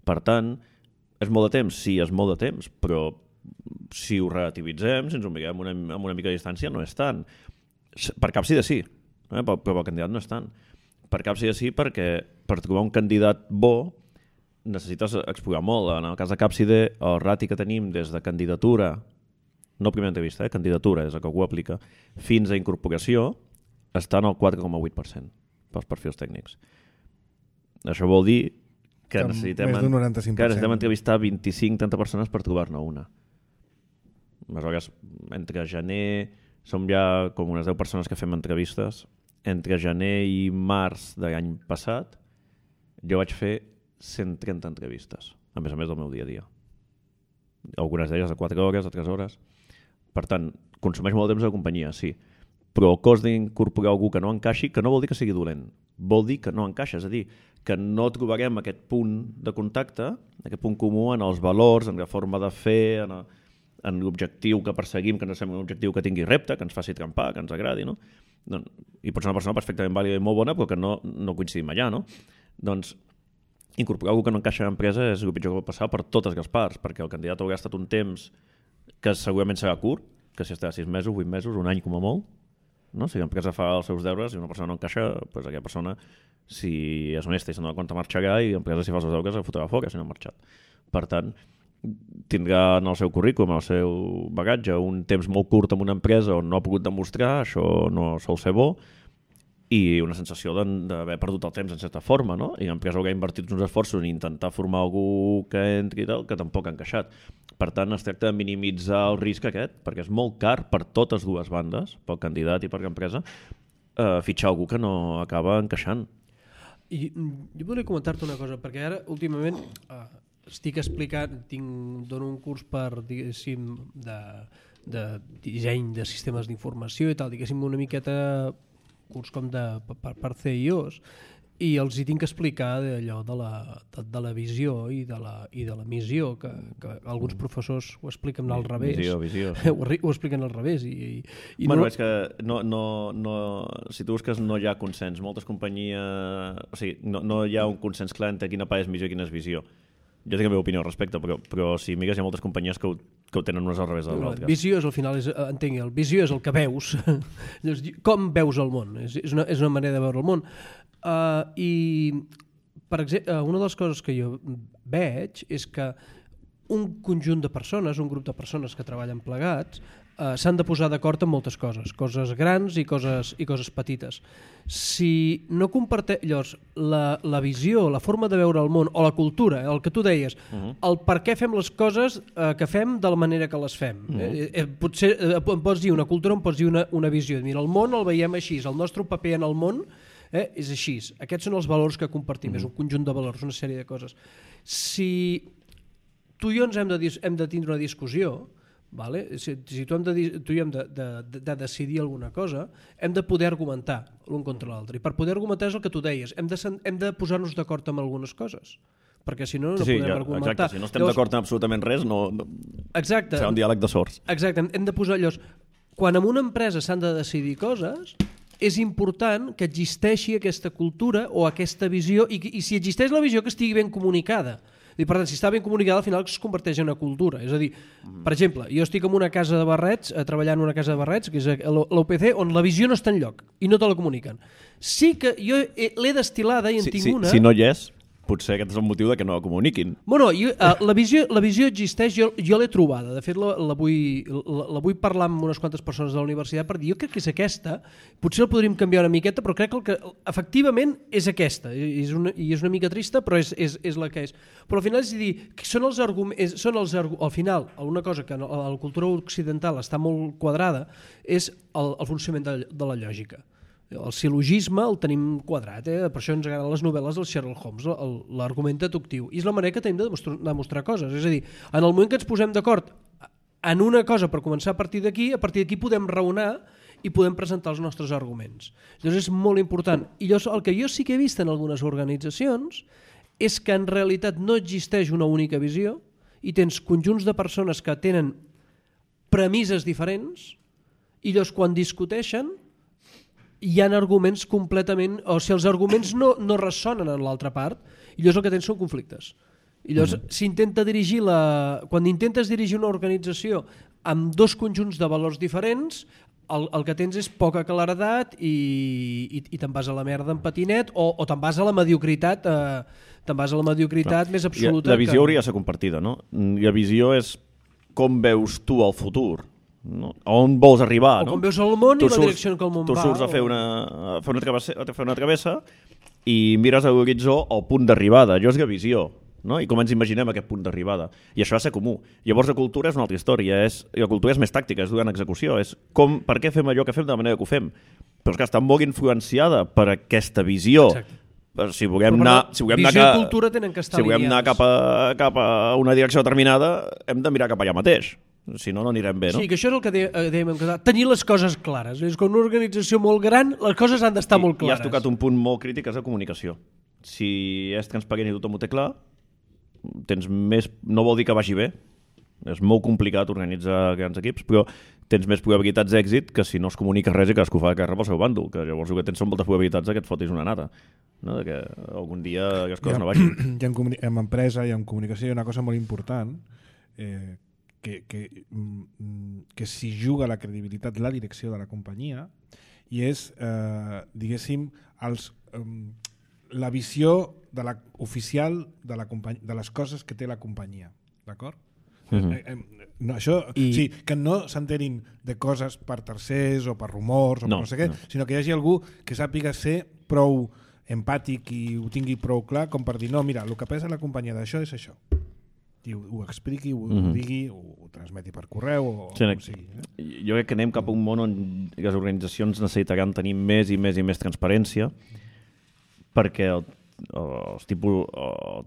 Per tant, és molt de temps? Sí, és molt de temps, però si ho relativitzem, si ens ho mirem amb una mica de distància, no és tant. Per Capside sí, però el candidat no és tant. Per Capside sí, perquè per trobar un candidat bo necessites explorar molt. En el cas de Capside, el rati que tenim des de candidatura, no primera entrevista, candidatura, des que algú aplica, fins a incorporació, està en el 4,8% pels perfils tècnics. Això vol dir que necessitem entrevistar 25-30 persones per trobar-ne una. Aleshores, entre gener, som ja com unes 10 persones que fem entrevistes, entre gener i març de l'any passat, jo vaig fer 130 entrevistes, a més del meu dia a dia. Algunes d'elles de 4 hores, de 3 hores. Per tant, consumeix molt temps de companyia, sí. Però el cost d'incorporar algú que no encaixi, que no vol dir que sigui dolent, vol dir que no encaixa, és a dir, que no trobarem aquest punt de contacte, aquest punt comú en els valors, en la forma de fer, en l'objectiu que perseguim, que ens sembla un objectiu que tingui repte, que ens faci trempar, que ens agradi, no? I pot ser una persona perfectament vàlida i molt bona, però que no coincidim allà, no? Doncs incorporar algú que no encaixa a l'empresa és el pitjor que pot passar per totes les parts, perquè el candidat haurà estat un temps que segurament serà curt, que si estarà 6 mesos, 8 mesos, un any com a molt, no? Si l'empresa fa els seus deures i una persona no encaixa, doncs aquella persona, si és honesta i se'n dona compte, marxarà, i l'empresa, si fa els seus deures, el fotrà fora si no ha marxat. Per tant, tindrà en el seu currículum, en el seu bagatge, un temps molt curt en una empresa on no ha pogut demostrar, això no sol ser bo, i una sensació d'haver perdut el temps en certa forma, no? I l'empresa haurà invertit uns esforços en intentar formar algú que entri i tal, que tampoc ha encaixat. Per tant, es tracta de minimitzar el risc aquest, perquè és molt car per totes dues bandes, pel candidat i per l'empresa, fitxar algú que no acaba encaixant. I jo volia comentar-te una cosa, perquè ara, últimament, estic explicant, dono un curs per, diguéssim, de disseny de sistemes d'informació i tal, diguéssim, una miqueta curs com per CIOs, i els hi tinc que explicar allò de la visió i de la missió, que alguns professors ho expliquen al revés. Visió. Ho expliquen al revés. Bueno, és que si tu busques no hi ha consens. Moltes companyies... O sigui, no hi ha un consens clar entre quina part és missió i quina és visió. Jo tinc la meva opinió al respecte, però si mires hi ha moltes companyies que ho tenen unes al revés de l'altre. Visió és, al final, el visió és el que veus. Com veus el món? És una manera de veure el món. I, per exemple, una de les coses que jo veig és que un conjunt de persones, un grup de persones que treballen plegats, s'han de posar d'acord en moltes coses grans i coses petites. Si no comparteix la visió, la forma de veure el món o la cultura, el que tu deies, el per què fem les coses que fem de la manera que les fem. Potser em pots dir una cultura, em pots dir una visió. Mira, el món el veiem així, el nostre paper en el món és així. Aquests són els valors que compartim, és un conjunt de valors, una sèrie de coses. Si tu i jo hem de tindre una discussió, vale? Si tu i jo hem de decidir alguna cosa, hem de poder argumentar l'un contra l'altre. I per poder argumentar és el que tu deies, hem de posar-nos d'acord amb algunes coses, perquè si no podem argumentar. Exacte, si no estem d'acord en absolutament res, serà un diàleg de sords. Exacte, hem de posar allò... Quan en una empresa s'han de decidir coses, és important que existeixi aquesta cultura o aquesta visió i si existeix la visió que estigui ben comunicada. I per tant, si està ben comunicada, al final es converteix en una cultura. És a dir, per exemple, jo estic en una casa de barrets, treballant en una casa de barrets, que és l'UPC, on la visió no està enlloc i no te la comuniquen. Sí que jo l'he destil·lada i en tinc una... Si no hi és, potser aquest és el motiu de que no la comuniquin. Bueno, la visió existeix, jo l'he trobada. De fet, la vull parlar amb unes quantes persones de la universitat per dir, jo crec que és aquesta, potser la podríem canviar una miqueta, però crec que efectivament és aquesta. I és una mica trista, però és la que és. Però al final és dir, són els arguments... Al final, una cosa que a la cultura occidental està molt quadrada és el funcionament de la lògica. El sil·logisme el tenim quadrat, per això ens agraden les novel·les del Sherlock Holmes, l'argument deductiu. I és la manera que tenim de demostrar coses. És a dir, en el moment que ens posem d'acord en una cosa per començar a partir d'aquí podem raonar i podem presentar els nostres arguments. Llavors és molt important. I el que jo sí que he vist en algunes organitzacions és que en realitat no existeix una única visió i tens conjunts de persones que tenen premisses diferents i llavors quan discuteixen hi ha arguments completament... O si els arguments no ressonen en l'altra part, i llavors el que tens són conflictes. I llavors quan intentes dirigir una organització amb dos conjunts de valors diferents, el que tens és poca claredat i te'n vas a la merda en patinet o te'n vas a la mediocritat més absoluta. La visió hauria de ser compartida, no? I la visió és com veus tu el futur. No? On vols arribar, o com veus el món i la direcció en què el món va. Tu surts a fer una travessa i mires a l'horitzó el punt d'arribada. Allò és la visió, no? I com ens imaginem aquest punt d'arribada. I això ha de ser comú. Llavors la cultura és una altra història. La cultura és més tàctica, és durant execució. És per què fem allò que fem de la manera que ho fem. Però és que està molt influenciada per aquesta visió. Exacte. Si volem anar cap a una direcció determinada, hem de mirar cap allà mateix. Si no, no anirem bé, no? Sí, que això és el que dèiem, tenir les coses clares. És com una organització molt gran, les coses han d'estar molt clares. I has tocat un punt molt crític, és la comunicació. Si és transparent i tothom ho té clar, no vol dir que vagi bé. És molt complicat organitzar grans equips, però tens més probabilitats d'èxit que si no es comunica res i cadascú fa la guerra pel seu bàndol, que llavors el que tens són moltes probabilitats que et fotis una nata, no? Que algun dia les coses no vagin. En empresa i en comunicació hi ha una cosa molt important que s'hi juga la credibilitat, la direcció de la companyia, i és, diguéssim, la visió oficial de les coses que té la companyia. D'acord? No, sí, que no s'enterin de coses per tercers o per rumors o per no sé què, sinó que hi hagi algú que sàpiga ser prou empàtic i ho tingui prou clar com per dir, no, mira, el que pensa la companyia d'això és això. I ho expliqui, ho digui, ho transmeti per correu o com sigui. Jo crec que anem cap a un món on les organitzacions necessitaran tenir més i més transparència, perquè el tipus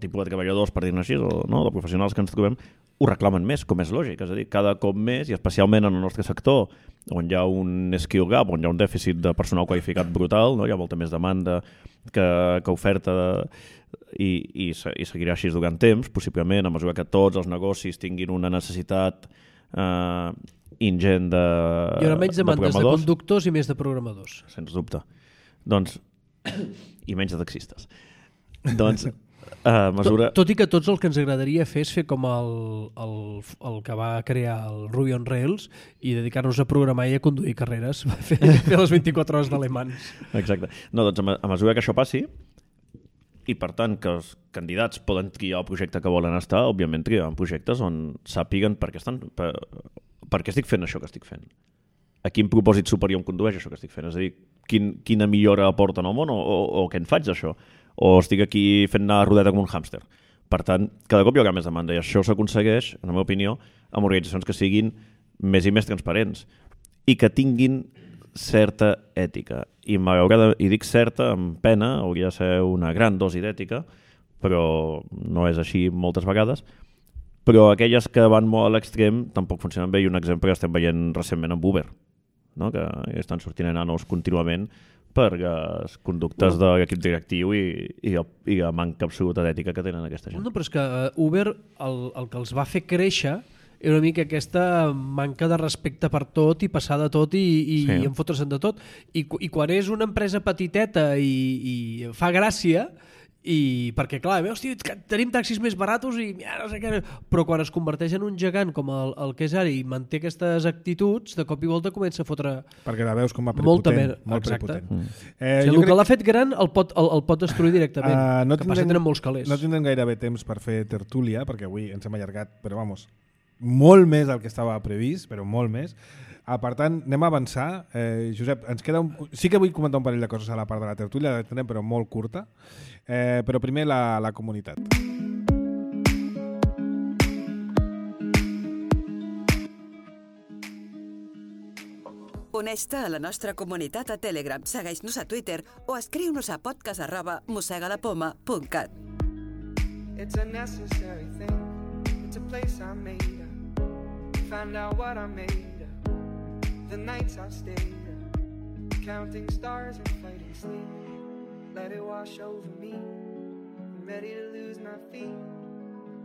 de treballadors, per dir-ne així, no? De professionals que ens trobem, ho reclamen més, com és lògic. És a dir, cada cop més, i especialment en el nostre sector, on hi ha un skill gap, on hi ha un dèficit de personal qualificat brutal, no? Hi ha molta més demanda que oferta i seguirà així durant temps, possiblement, a mesura que tots els negocis tinguin una necessitat ingent de programadors. Hi haurà menys demandes de conductors i més de programadors. Sens dubte. Doncs, i menys de taxistes. Doncs, a mesura... Tot i que tots el que ens agradaria fer és fer com el que va crear el Ruby on Rails i dedicar-nos a programar i a conduir carreres, fer les 24 hores d'alemans. Exacte. No, doncs a mesura que això passi, i per tant que els candidats poden triar el projecte que volen estar, òbviament triaran projectes on sàpiguen per què estic fent això que estic fent. A quin propòsit superior em condueix això que estic fent? És a dir, quina millora aporta en el món o què en faig d'això? O estic aquí fent anar a rodeta com un hàmster? Per tant, cada cop hi haurà més demanda i això s'aconsegueix, en la meva opinió, amb organitzacions que siguin més i més transparents i que tinguin certa ètica. I dic certa amb pena, hauria de ser una gran dosi d'ètica, però no és així moltes vegades. Però aquelles que van molt a l'extrem tampoc funcionen bé i un exemple que estem veient recentment amb Uber, no? Que estan sortint enanos contínuament per les conductes de l'equip directiu i la manca absoluta d'ètica que tenen aquesta gent. No, però és que Uber el que els va fer créixer era una mica aquesta manca de respecte per tot i passar de tot i enfotre's de tot. I quan és una empresa petiteta i fa gràcia, perquè clar, hòstia, tenim taxis més baratos i no sé què, però quan es converteix en un gegant com el que és ara i manté aquestes actituds, de cop i volta comença a fotre perquè la veus com a prepotent, molt exacte. Prepotent. El que l'ha fet gran el pot destruir directament, que passa que tenen molts calés. No tindrem gairebé temps per fer tertúlia, perquè avui ens hem allargat, però vamos, molt més del que estava previst, però molt més. Per tant, anem a avançar. Josep, ens queda sí que vull comentar un parell de coses a la part de la tertúlia, la tindrem però molt curta. Però primer la comunitat. Uneix-te a la nostra comunitat a Telegram, segueix-nos a Twitter o escriu-nos a podcast@mosegalapoma.cat. It's a necessary thing. It's a place I made up. Find out what I made up. The nights I stayed up, counting stars and fighting sleep. Let it wash over me. I'm ready to lose my feet.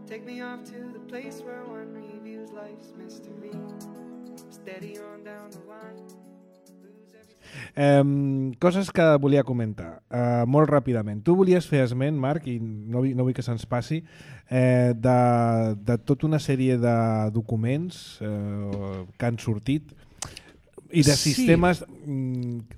Take me off to the place where one reviews life's mystery. Steady on down the line. Coses que volia comentar molt ràpidament. Tu volies fer esment, Marc, i no vull que se'ns passi, de tota una sèrie de documents que han sortit i de sistemes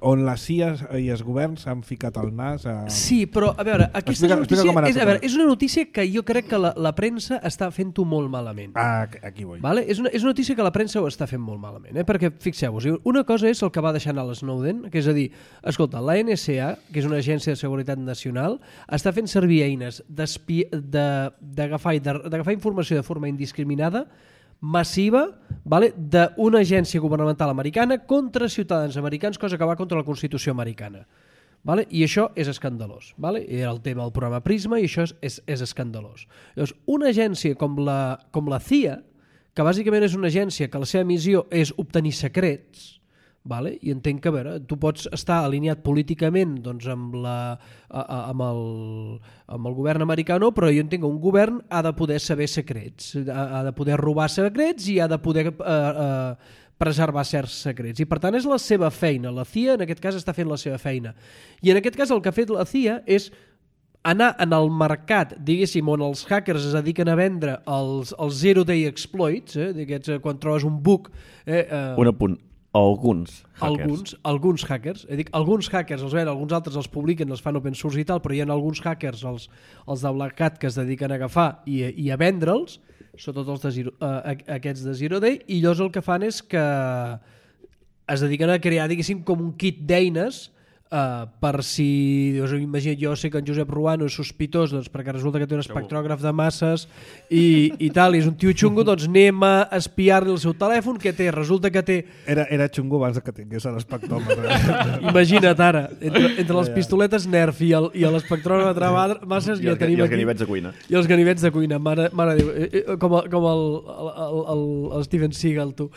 on la CIA i els governs han ficat el nas a... Sí, però a veure, aquesta notícia és una notícia que jo crec que la premsa està fent-ho molt malament. Aquí vull. Vale? És una notícia que la premsa ho està fent molt malament, perquè fixeu-vos, una cosa és el que va deixar anar l'Snowden, que és a dir, escolta, la NSA, que és una agència de seguretat nacional, està fent servir eines d'agafar informació de forma indiscriminada, massiva, vale, d'una agència governamental americana contra ciutadans americans, cosa que va contra la Constitució americana. Vale? I això és escandalós. Vale? Era el tema del programa Prisma i això és escandalós. Llavors, una agència com la CIA, que bàsicament és una agència que la seva missió és obtenir secrets, vale? I entenc que, a veure, tu pots estar alineat políticament doncs, amb el govern americà, no, però jo entenc que un govern ha de poder saber secrets, ha de poder robar secrets i ha de poder preservar certs secrets. I per tant és la seva feina. La CIA en aquest cas està fent la seva feina. I en aquest cas el que ha fet la CIA és anar en el mercat, diguéssim, on els hackers es dediquen a vendre els zero day exploits, quan trobes un bug... Un apunt. Alguns hackers. Alguns hackers. Alguns hackers els ven, alguns altres els publiquen, els fan open source i tal, però hi ha alguns hackers, els de Black Hat, que es dediquen a agafar i a vendre'ls, sobretot aquests de Zero Day, i llavors el que fan és que es dediquen a crear, diguéssim, com un kit d'eines per si, imagina't, jo sé que en Josep Ruano és sospitós, doncs perquè resulta que té un espectrògraf de masses i tal, i és un tio xungo, doncs anem a espiar-li el seu telèfon, que té, resulta que té... Era xungo abans que tingués l'espectròmetre. Imagina't ara, entre les pistoletes Nerf i l'espectrògraf de masses ja tenim aquí... I els ganivets de cuina. I els ganivets de cuina, mare Déu, com el Steven Seagal, tu.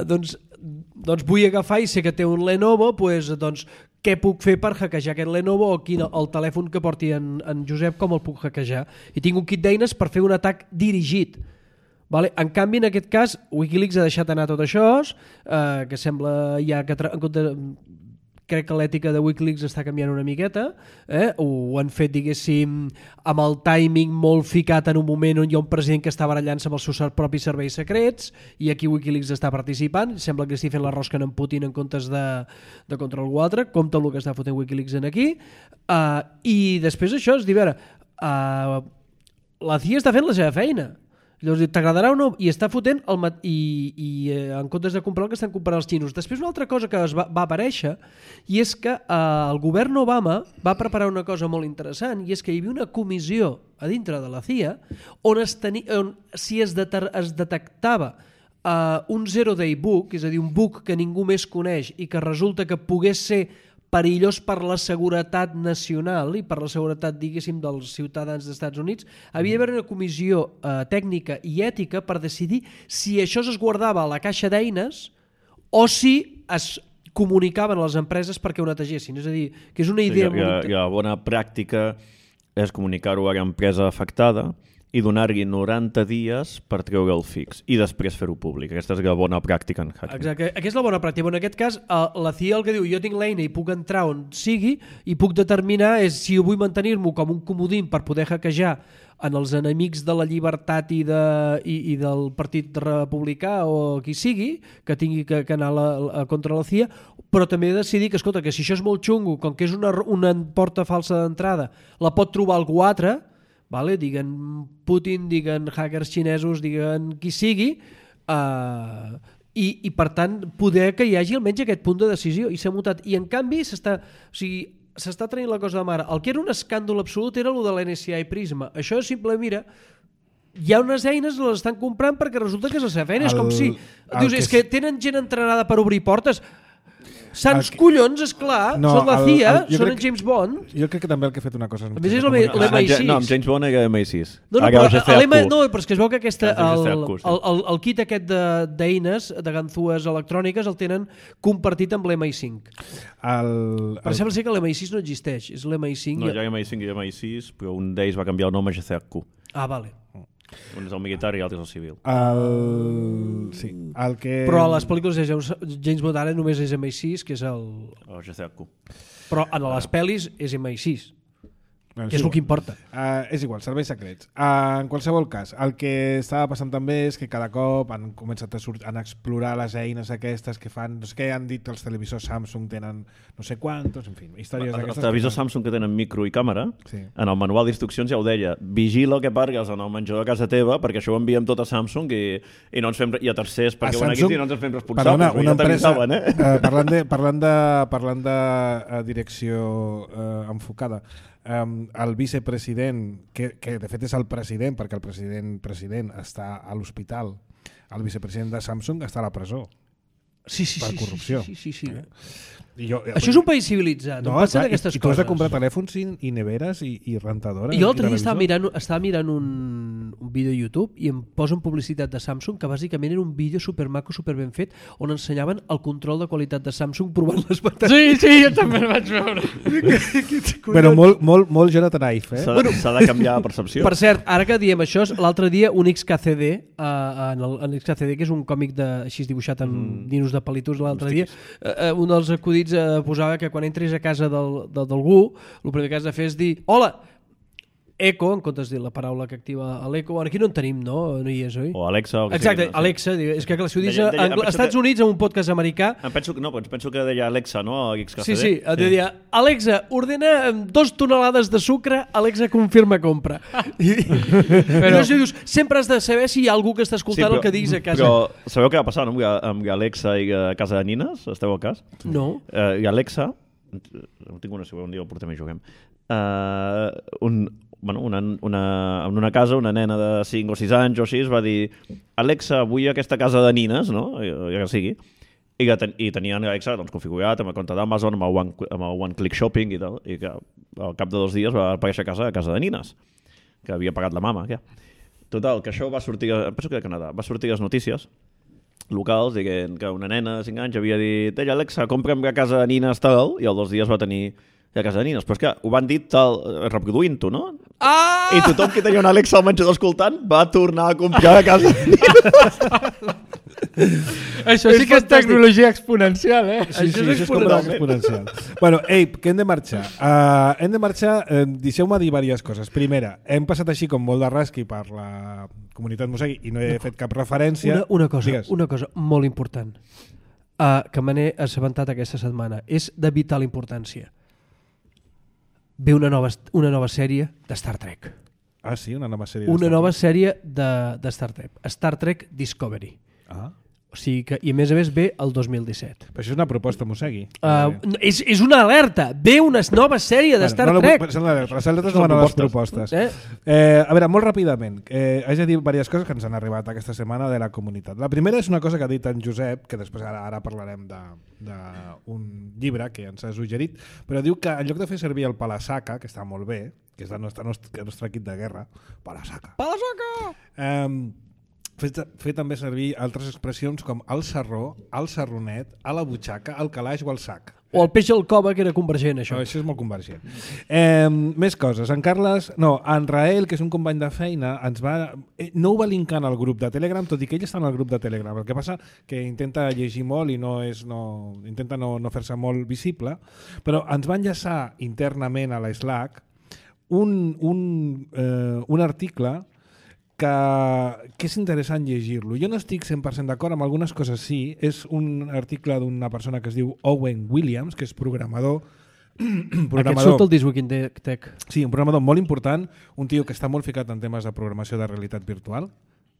Doncs vull agafar i sé que té un Lenovo, doncs què puc fer per hackejar aquest Lenovo o el telèfon que porti en Josep, com el puc hackejar? I tinc un kit d'eines per fer un atac dirigit. Vale? En canvi, en aquest cas, Wikileaks ha deixat anar tot això, que sembla ja que en compte... Crec que l'ètica de Wikileaks està canviant una miqueta, ho han fet, diguéssim, amb el timing molt ficat en un moment on hi ha un president que està barallant-se amb els seus propis serveis secrets i aquí Wikileaks està participant, sembla que estigui fent la rosca en Putin en comptes de contra algú altre, compte el que està fotent Wikileaks en aquí, i després això és dir, a veure, la CIA està fent la seva feina. Llavors, t'agradarà o no? I està fotent en comptes de comprar el que estan comprant els xinos. Després una altra cosa que va aparèixer i és que el govern Obama va preparar una cosa molt interessant i és que hi havia una comissió a dintre de la CIA on si es detectava un zero-day book, és a dir, un book que ningú més coneix i que resulta que pogués ser perillós per la seguretat nacional i per la seguretat, diguéssim, dels ciutadans dels Estats Units, havia d'haver una comissió tècnica i ètica per decidir si això es guardava a la caixa d'eines o si es comunicaven a les empreses perquè ho netegessin. És a dir, que és una idea... La bona pràctica és comunicar-ho a l'empresa afectada i donar-li 90 dies per treure el fix i després fer-ho públic. Aquesta és la bona pràctica en hacking. Exacte, aquesta és la bona pràctica. En aquest cas, la CIA el que diu, jo tinc l'eina i puc entrar on sigui i puc determinar si vull mantenir-m'ho com un comodín per poder hackejar en els enemics de la llibertat i del Partit Republicà o qui sigui, que tingui que anar contra la CIA, però també decidir que, escolta, que si això és molt xungo, com que és una porta falsa d'entrada, la pot trobar algú altre, vale? Diguen Putin, diguen hackers xinesos, diguen qui sigui, i per tant poder que hi hagi almenys aquest punt de decisió i s'ha mutat. I en canvi s'està traient la cosa de mare. El que era un escàndol absolut era el de l'NSA i Prisma. Això és simple, mira, hi ha unes eines, les estan comprant perquè resulta que és la seva feina. És com si dius, és que tenen gent entrenada per obrir portes. Sants collons, esclar, són la CIA, són en James Bond. Jo crec que també el que ha fet una cosa... A més és l'MI6. No, amb James Bond era l'MI6. No, però és que es veu que el kit aquest d'eines, de ganzúes electròniques, el tenen compartit amb l'MI5. Per sembla ser que l'MI6 no existeix, és l'MI5. No, hi ha l'MI5 i l'MI6, però un d'ells va canviar el nom a GCHQ. Ah, vale. Un és el militar i l'altre és el civil. Sí, el que... Però a les pel·lícules de James Bond ara només és MI6, que és el GCHQ. Però en les pel·lis és MI6. Que és el que importa. És igual, serveis secrets. En qualsevol cas, el que estava passant també és que cada cop han començat a explorar les eines aquestes que fan, no sé què, han dit que els televisors Samsung tenen no sé quantos, en fi, històries d'aquestes. Els televisors Samsung que tenen micro i càmera, sí. En el manual d'instruccions ja ho deia, vigila que pargues en el menjador de casa teva, perquè això ho enviem tot a Samsung i no ens fem, i a tercers perquè ho aquí i no ens en fem responsables. Perdona, una empresa, parlant de direcció enfocada, el vicepresident, que de fet és el president, perquè el president està a l'hospital, el vicepresident de Samsung està a la presó per corrupció. Sí. Això és un país civilitzat. No, clar, i tu has de comprar telèfons i neveres i rentadores. I jo l'altre dia estava mirant un vídeo a YouTube i em posen publicitat de Samsung que bàsicament era un vídeo supermaco, superben fet, on ensenyaven el control de qualitat de Samsung provant les bateries. Sí, jo també el vaig veure. Però molt Jonathan Ive, S'ha de canviar la percepció. Per cert, ara que diem això, l'altre dia un XKCD, en XKCD, que és un còmic així dibuixat amb dinos de palitos l'altre dia, un dels acudits posava que quan entris a casa d'algú, el primer que has de fer és dir hola, Echo, en comptes de dir la paraula que activa l'Echo. Aquí no en tenim, no? No hi és, oi? O Alexa. Exacte, Alexa. És que si ho dius als Estats Units, en un podcast americà... Penso que deia Alexa, no? Sí. Deia, Alexa, ordena 2 tonelades de sucre, Alexa confirma compra. Però si dius, sempre has de saber si hi ha algú que està escoltant el que diguis a casa. Però sabeu què va passar amb Alexa i a casa de nines? Esteu al cas? No. I Alexa no tinc una, si un dia el portem i juguem, en una casa, una nena de 5 o 6 anys o així va dir Alexa, vull aquesta casa de nines, no? Ja que sigui. I tenien Alexa doncs, configurat amb el compte d'Amazon, amb el One Click Shopping i tal, i que al cap de 2 dies va aparèixer a casa de nines, que havia pagat la mama. Ja. Total, que això va sortir, penso que a Canadà, va sortir a les notícies locals dient que una nena de 5 anys havia dit Alexa, compra'm a casa de nines tal, i al 2 dies va tenir a casa de nines. Però és que ho van dir tal, reproduint-ho, no? Ah! I tothom que tenia una Alexa al menjador escoltant va tornar a comprar a casa de nines. Això sí que és tecnologia exponencial, eh? Sí, això és exponencial. Bueno, que hem de marxar. Deixeu-me dir diverses coses. Primera, hem passat així com molt de rasqui per la comunitat Mosegui i no he fet cap referència. Una cosa molt important que me n'he assabentat aquesta setmana. És de vital importància. Ve una nova sèrie de Star Trek. Ah, sí? Una nova sèrie nova sèrie de Star Trek. Star Trek Discovery. Ah. O sigui que, i a més ve el 2017. Però això és una proposta, Mosegui. És una alerta. Ve una nova sèrie de Star Trek. Les alertes no van a les propostes. A veure, molt ràpidament. Haig de dir diverses coses que ens han arribat aquesta setmana de la comunitat. La primera és una cosa que ha dit en Josep, que després ara parlarem d'un llibre que ens ha suggerit, però diu que en lloc de fer servir el Palasaca, que està molt bé, que és el nostre kit de guerra, Palasaca! Fer també servir altres expressions com el sarró, el sarronet, a la butxaca, el calaix o el sac. O el peix al cova, que era convergent, això. Això és molt convergent. Més coses. En Rael, que és un company de feina, no ho va linkar al grup de Telegram, tot i que ell està en el grup de Telegram. El que passa que intenta llegir molt i intenta no fer-se molt visible, però ens va enllaçar internament a la Slack un article que és interessant llegir-lo. Jo no estic 100% d'acord amb algunes coses, sí. És un article d'una persona que es diu Owen Williams, que és programador. Aquest surt el This Week in Tech. Sí, un programador molt important, un tio que està molt ficat en temes de programació de realitat virtual,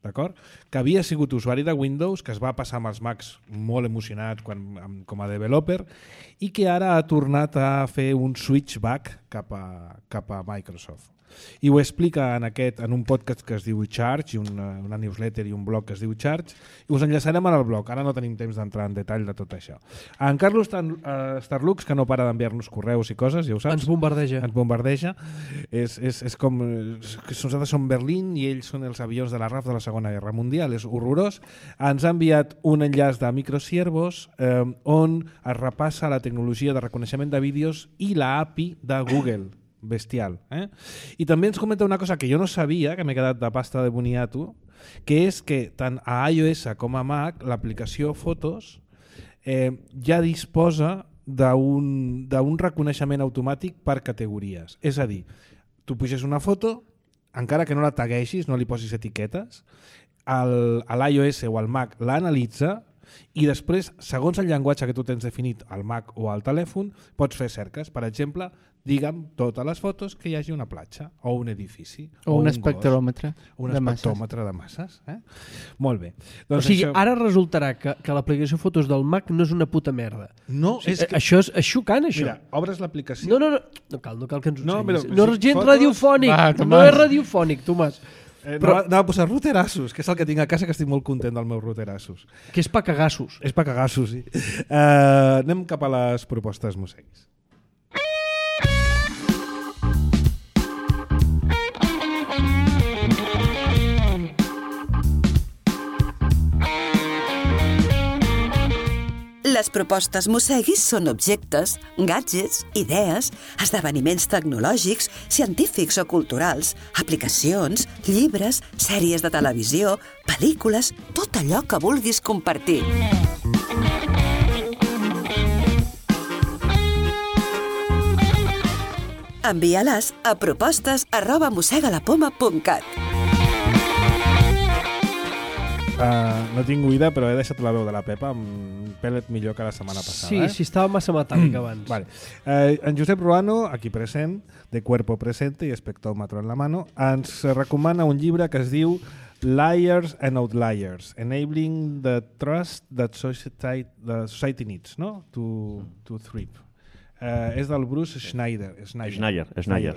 d'acord? Que havia sigut usuari de Windows, que es va passar amb els Macs molt emocionat com a developer i que ara ha tornat a fer un switchback cap a Microsoft. I ho explica en un podcast que es diu Charge, una newsletter i un blog que es diu Charge, i us enllaçarem al blog. Ara no tenim temps d'entrar en detall de tot això. En Carlos Starlux, que no para d'enviar-nos correus i coses, ja ho saps. Ens bombardeja. És com que nosaltres som Berlín i ells són els avions de la RAF de la Segona Guerra Mundial. És horrorós. Ens ha enviat un enllaç de Microsiervos on es repassa la tecnologia de reconeixement de vídeos i la API de Google. Bestial. I també ens comenta una cosa que jo no sabia, que m'he quedat de pasta de boniato, que és que tant a iOS com a Mac l'aplicació Fotos ja disposa d'un reconeixement automàtic per categories. És a dir, tu puges una foto, encara que no la tagueixis, no li posis etiquetes, a l'iOS o al Mac l'analitza i després, segons el llenguatge que tu tens definit al Mac o al telèfon, pots fer cerques. Per exemple, digue'm totes les fotos que hi hagi una platja o un edifici o un espectròmetre de masses. Molt bé. Doncs o sigui, ara resultarà que l'aplicació Fotos del Mac no és una puta merda. No, és que... Això és xocant, això. Mira, obres l'aplicació... No cal que ens ho ensenyis. No és gens radiofònic. No és radiofònic, Tomàs. Anava a posar routerassos, que és el que tinc a casa, que estic molt content del meu routerassos. Que és pa cagassos. És pa cagassos, sí. Anem cap a les propostes Moseguis. Les propostes Mosseguis són objectes, gadgets, idees, esdeveniments tecnològics, científics o culturals, aplicacions, llibres, sèries de televisió, pel·lícules, tot allò que vulguis compartir. Envia-les a propostes@mossegalapoma.cat. No tinc oïda, però he deixat la veu de la Pepa un pèlet millor que la setmana passada. Sí, estava massa metàl·lic abans. Vale. En Josep Ruano, aquí present, de Cuerpo Presente i Espectròmetre en la mano, ens recomana un llibre que es diu Liars and Outliers, Enabling the Trust that Society Needs, no? To Thrive. És del Bruce Schneier.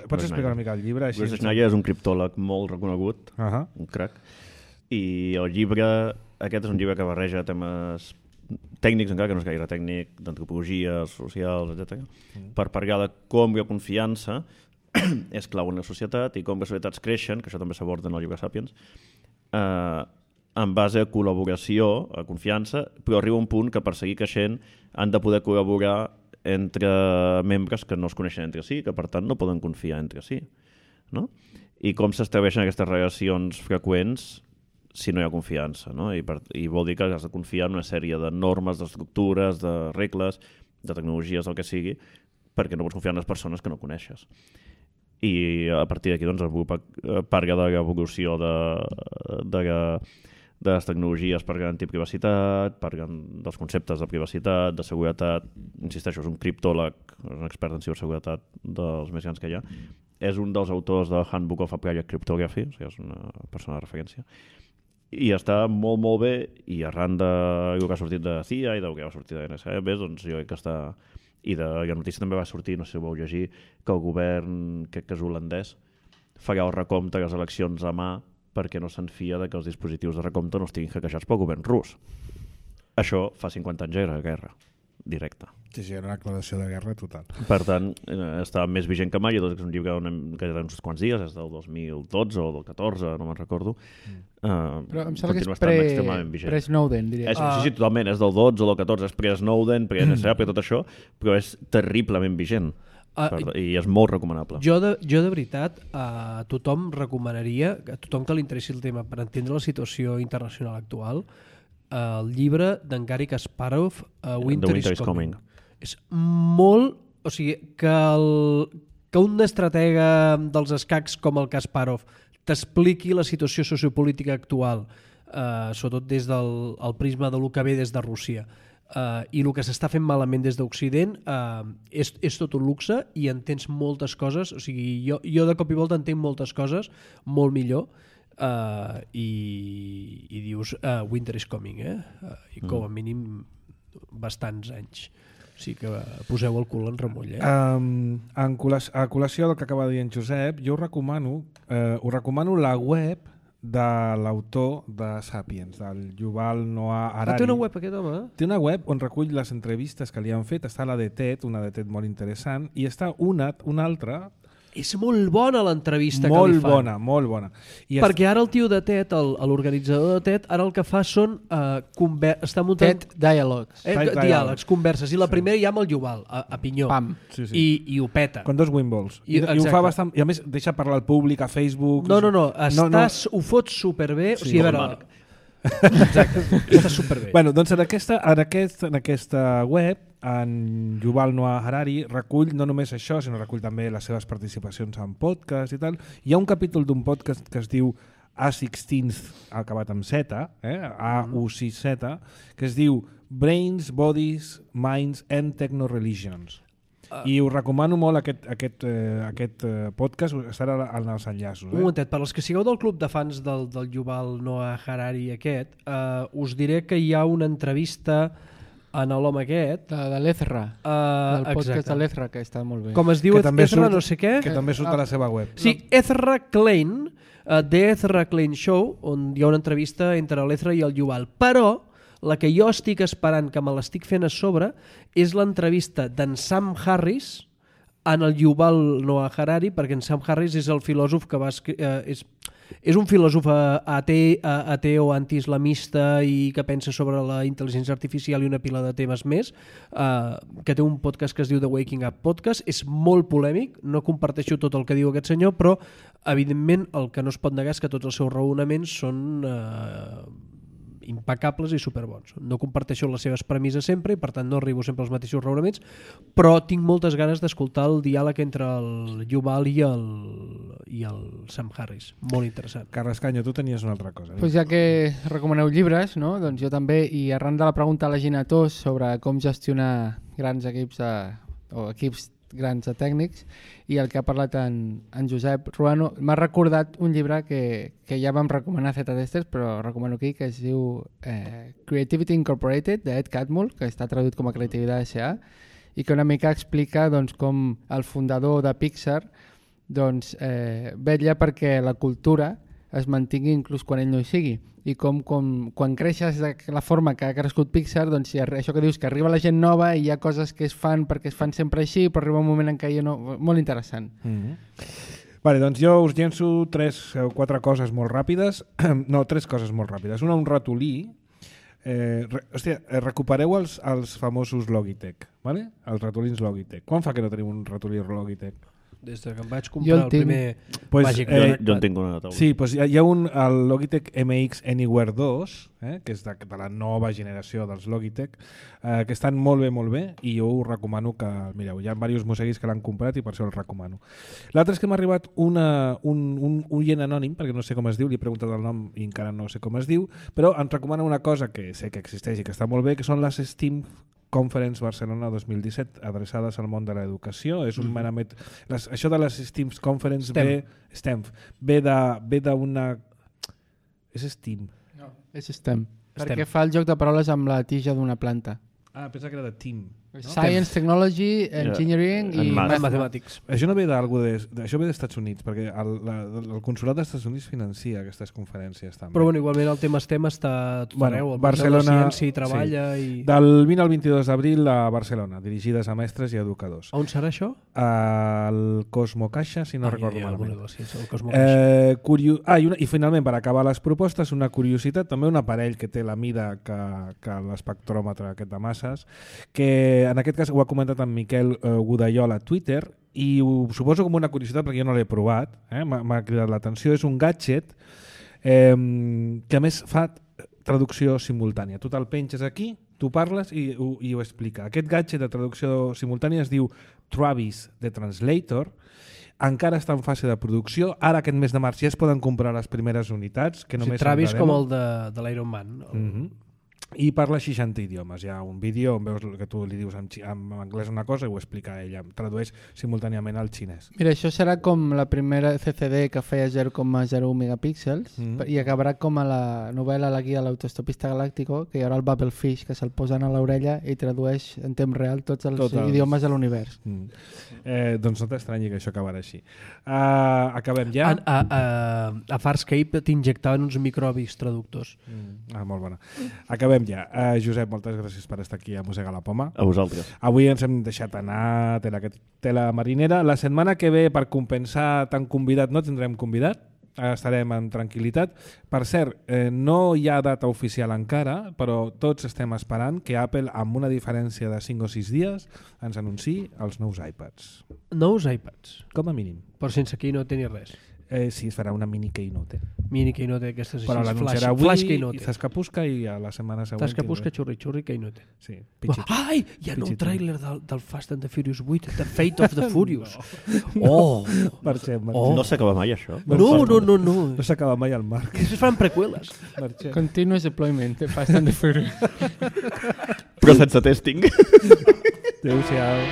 Pots explicar una mica el llibre? Bruce Schneier és un criptòleg molt reconegut, un crac, i el llibre, aquest és un llibre que barreja temes tècnics, encara que no és gaire tècnic, d'antropologia, socials, etc., per parlar de com la confiança és clau en la societat i com les societats creixen, que això també s'aborda en el llibre Sapiens, en base a col·laboració, a confiança, però arriba un punt que per seguir creixent han de poder col·laborar entre membres que no es coneixen entre si, que per tant no poden confiar entre si. No? I com s'estableixen aquestes relacions freqüents si no hi ha confiança. No? I vol dir que has de confiar en una sèrie de normes, d'estructures, de regles, de tecnologies, el que sigui, perquè no pots confiar en les persones que no coneixes. I a partir d'aquí doncs, parla de l'evolució de les tecnologies per garantir privacitat, parlen dels conceptes de privacitat, de seguretat. Insisteixo, és un criptòleg, és un expert en ciberseguretat dels més grans que hi ha. És un dels autors del Handbook of Applied Cryptography, o sigui, és una persona de referència. I està molt, molt bé, i arran del que ha sortit de CIA i del que va sortir de NSA, doncs jo crec que està... I la notícia també va sortir, no sé si ho vau llegir, que el govern, crec que és holandès, farà el recompte de les eleccions a mà perquè no se'n fia que els dispositius de recompte no estiguin hackejats pel govern rus. Això fa 50 anys era guerra directa. Sí, era una declaració de guerra total. Per tant, està més vigent que mai, és un llibre que ja té uns quants dies, és del 2012 o del 14, no me'n recordo. Però em sembla que és pre-Snowden, diria. Sí, totalment, és del 12 o del 14, és pre-Snowden, pre-NSA, pre tot això, però és terriblement vigent. I és molt recomanable. Jo de veritat a tothom recomanaria, a tothom que li interessi el tema per entendre la situació internacional actual, el llibre d'en Garry Kasparov, Winter is Coming. És molt... O sigui, que un estratega dels escacs com el Kasparov t'expliqui la situació sociopolítica actual, sobretot des del prisma de lo que ve des de Rússia, i el que s'està fent malament des d'Occident, és tot un luxe i entens moltes coses. O sigui, jo de cop i volta entenc moltes coses molt millor, i dius Winter is Coming, i com a mínim bastants anys. O sigui que poseu el cul en remull. A col·lació del que acaba de dir en Josep, jo us recomano la web de l'autor de Sapiens, del Yuval Noah Harari. Té una web aquest home? Té una web on recull les entrevistes que li han fet. Està la de TED, una de TED molt interessant, i està una altra... És molt bona l'entrevista que li fan. Molt bona. Perquè ara el tio de TED, l'organitzador de TED, ara el que fa són està muntant... TED Dialogues. Diàlegs, converses. I la primera ja amb el Yuval, a pinyó. Pam. Sí. I ho peta. Con 2 wimballs. I ho fa bastant... I a més deixa parlar al públic, a Facebook... No. Ho fots superbé. Sí, o sigui, a veure... Exacte, està superbé. Bueno, doncs en aquesta web en Yuval Noah Harari recull no només això, sinó recull també les seves participacions en podcast i tal. Hi ha un capítol d'un podcast que es diu A16th, acabat amb Z, A16Z, que es diu Brains, Bodies, Minds and Techno-Religions. I us recomano molt aquest podcast, estarà en els enllaços. Un momentet, per als que sigueu del club de fans del Yuval Noah Harari aquest, us diré que hi ha una entrevista en l'home aquest. La de l'Ezra, el podcast de l'Ezra, que està molt bé. Com es diu Ezra no sé què. Que també surt a la seva web. Sí, Ezra Klein, The Ezra Klein Show, on hi ha una entrevista entre l'Ezra i el Yuval. Però la que jo estic esperant, que me l'estic fent a sobre, és l'entrevista d'en Sam Harris en el Yuval Noah Harari, perquè en Sam Harris és el filòsof que va és un filòsof ateu, antiislamista i que pensa sobre la intel·ligència artificial i una pila de temes més, que té un podcast que es diu The Waking Up Podcast. És molt polèmic, no comparteixo tot el que diu aquest senyor, però evidentment el que no es pot negar és que tots els seus raonaments són impecables i superbons. No comparteixo les seves premisses sempre i per tant no arribo sempre als mateixos raonaments, però tinc moltes ganes d'escoltar el diàleg entre el Yuval i el Sam Harris. Molt interessant. Carles Canyo, tu tenies una altra cosa. Pues ja que recomaneu llibres, no? Doncs jo també, i arran de la pregunta a la Gina Tos sobre com gestionar grans equips o equips grans de tècnics, i el que ha parlat en Josep Ruano, m'ha recordat un llibre que ja vam recomanar a Z-Testers, però recomano aquí, que es diu Creativity Incorporated, d'Ed Catmull, que està traduït com a Creativitat S.A., i que una mica explica doncs, com el fundador de Pixar doncs, vetlla perquè la cultura es mantingui inclús quan ell no hi sigui, i com quan creixes de la forma que ha crescut Pixar, doncs això que dius, que arriba la gent nova i hi ha coses que es fan perquè es fan sempre així, però arriba un moment en què ja no... Molt interessant. Vale, doncs jo us llenço 3 o 4 coses molt ràpides. No, 3 coses molt ràpides. Una, un ratolí. Recupereu els famosos Logitech, vale? Els ratolins Logitech. Quan fa que no tenim un ratolí Logitech? Des que em vaig comprar el primer Magic Joy. Jo en tinc una taula. Sí, doncs hi ha el Logitech MX Anywhere 2, que és de la nova generació dels Logitech, que estan molt bé, i jo us recomano que mireu. Hi ha diversos mosseguis que l'han comprat i per això el recomano. L'altre és que m'ha arribat un oient anònim, perquè no sé com es diu, li he preguntat el nom i encara no sé com es diu, però ens recomana una cosa que sé que existeix i que està molt bé, que són les Steam Conference Barcelona 2017 adreçades al món de l'educació. És un merament... Això de les Steam Conference ve d'una... És Steam. No, és STEM. Perquè fa el joc de paraules amb la tija d'una planta. Ah, pensa que era de Team. No? Science, Technology, Engineering i Mathematics. Això no ve això ve dels Estats Units, perquè el Consolat dels Estats Units financia aquestes conferències també. Però bueno, igualment el tema STEM està tot arreu. Barcelona, la ciència hi treballa i... Del 20 al 22 d'abril a Barcelona, dirigides a mestres i educadors. On serà això? Al Cosmo Caixa, si no recordo malament. I finalment, per acabar les propostes, una curiositat, també un aparell que té la mida que l'espectròmetre aquest de masses, que en aquest cas ho ha comentat en Miquel Godallol a Twitter i ho suposo com una curiositat perquè jo no l'he provat, m'ha cridat l'atenció. És un gadget que a més fa traducció simultània. Tu te'l penges aquí, tu parles i ho explica. Aquest gadget de traducció simultània es diu Travis The Translator, encara està en fase de producció. Ara aquest mes de març ja es poden comprar les primeres unitats. Que només Travis com el de l'Iron Man. I parla 60 idiomes. Hi ha un vídeo on veus que tu li dius en anglès una cosa i ho explica ella, tradueix simultàniament al xinès. Mira, això serà com la primera CCD que feia 0,01 megapíxels i acabarà com a la novel·la La guia de l'autostopista galàctico, que hi haurà el Bubblefish que se'l posen a l'orella i tradueix en temps real tots els idiomes de l'univers. Doncs no t'estranyi que això acabarà així. Acabem ja? A Farscape t'injectaven uns microbis traductors. Molt bona. Acabem ja. Josep, moltes gràcies per estar aquí a Mossega la Poma. A vosaltres. Avui ens hem deixat anar tela marinera. La setmana que ve, per compensar tant convidat, no tindrem convidat. Estarem en tranquil·litat. Per cert, no hi ha data oficial encara, però tots estem esperant que Apple, amb una diferència de 5 o 6 dies, ens anunciï els nous iPads. Nous iPads? Com a mínim. Però sense keynote ni res. Sí, es farà una mini keynote. Mini keynote, aquestes però l'anunciarà avui, s'escapusca i a la setmana següent... S'escapusca, xurri, keynote. Sí, ai, hi ha un tràiler del Fast and the Furious 8, The Fate of the Furious. Oh! Marxem. No s'acaba mai, això? No. No s'acaba mai el Marc. Es fan preqüeles. Continuous deployment, The Fast and the Furious. Però sense testing. Adéu-siau.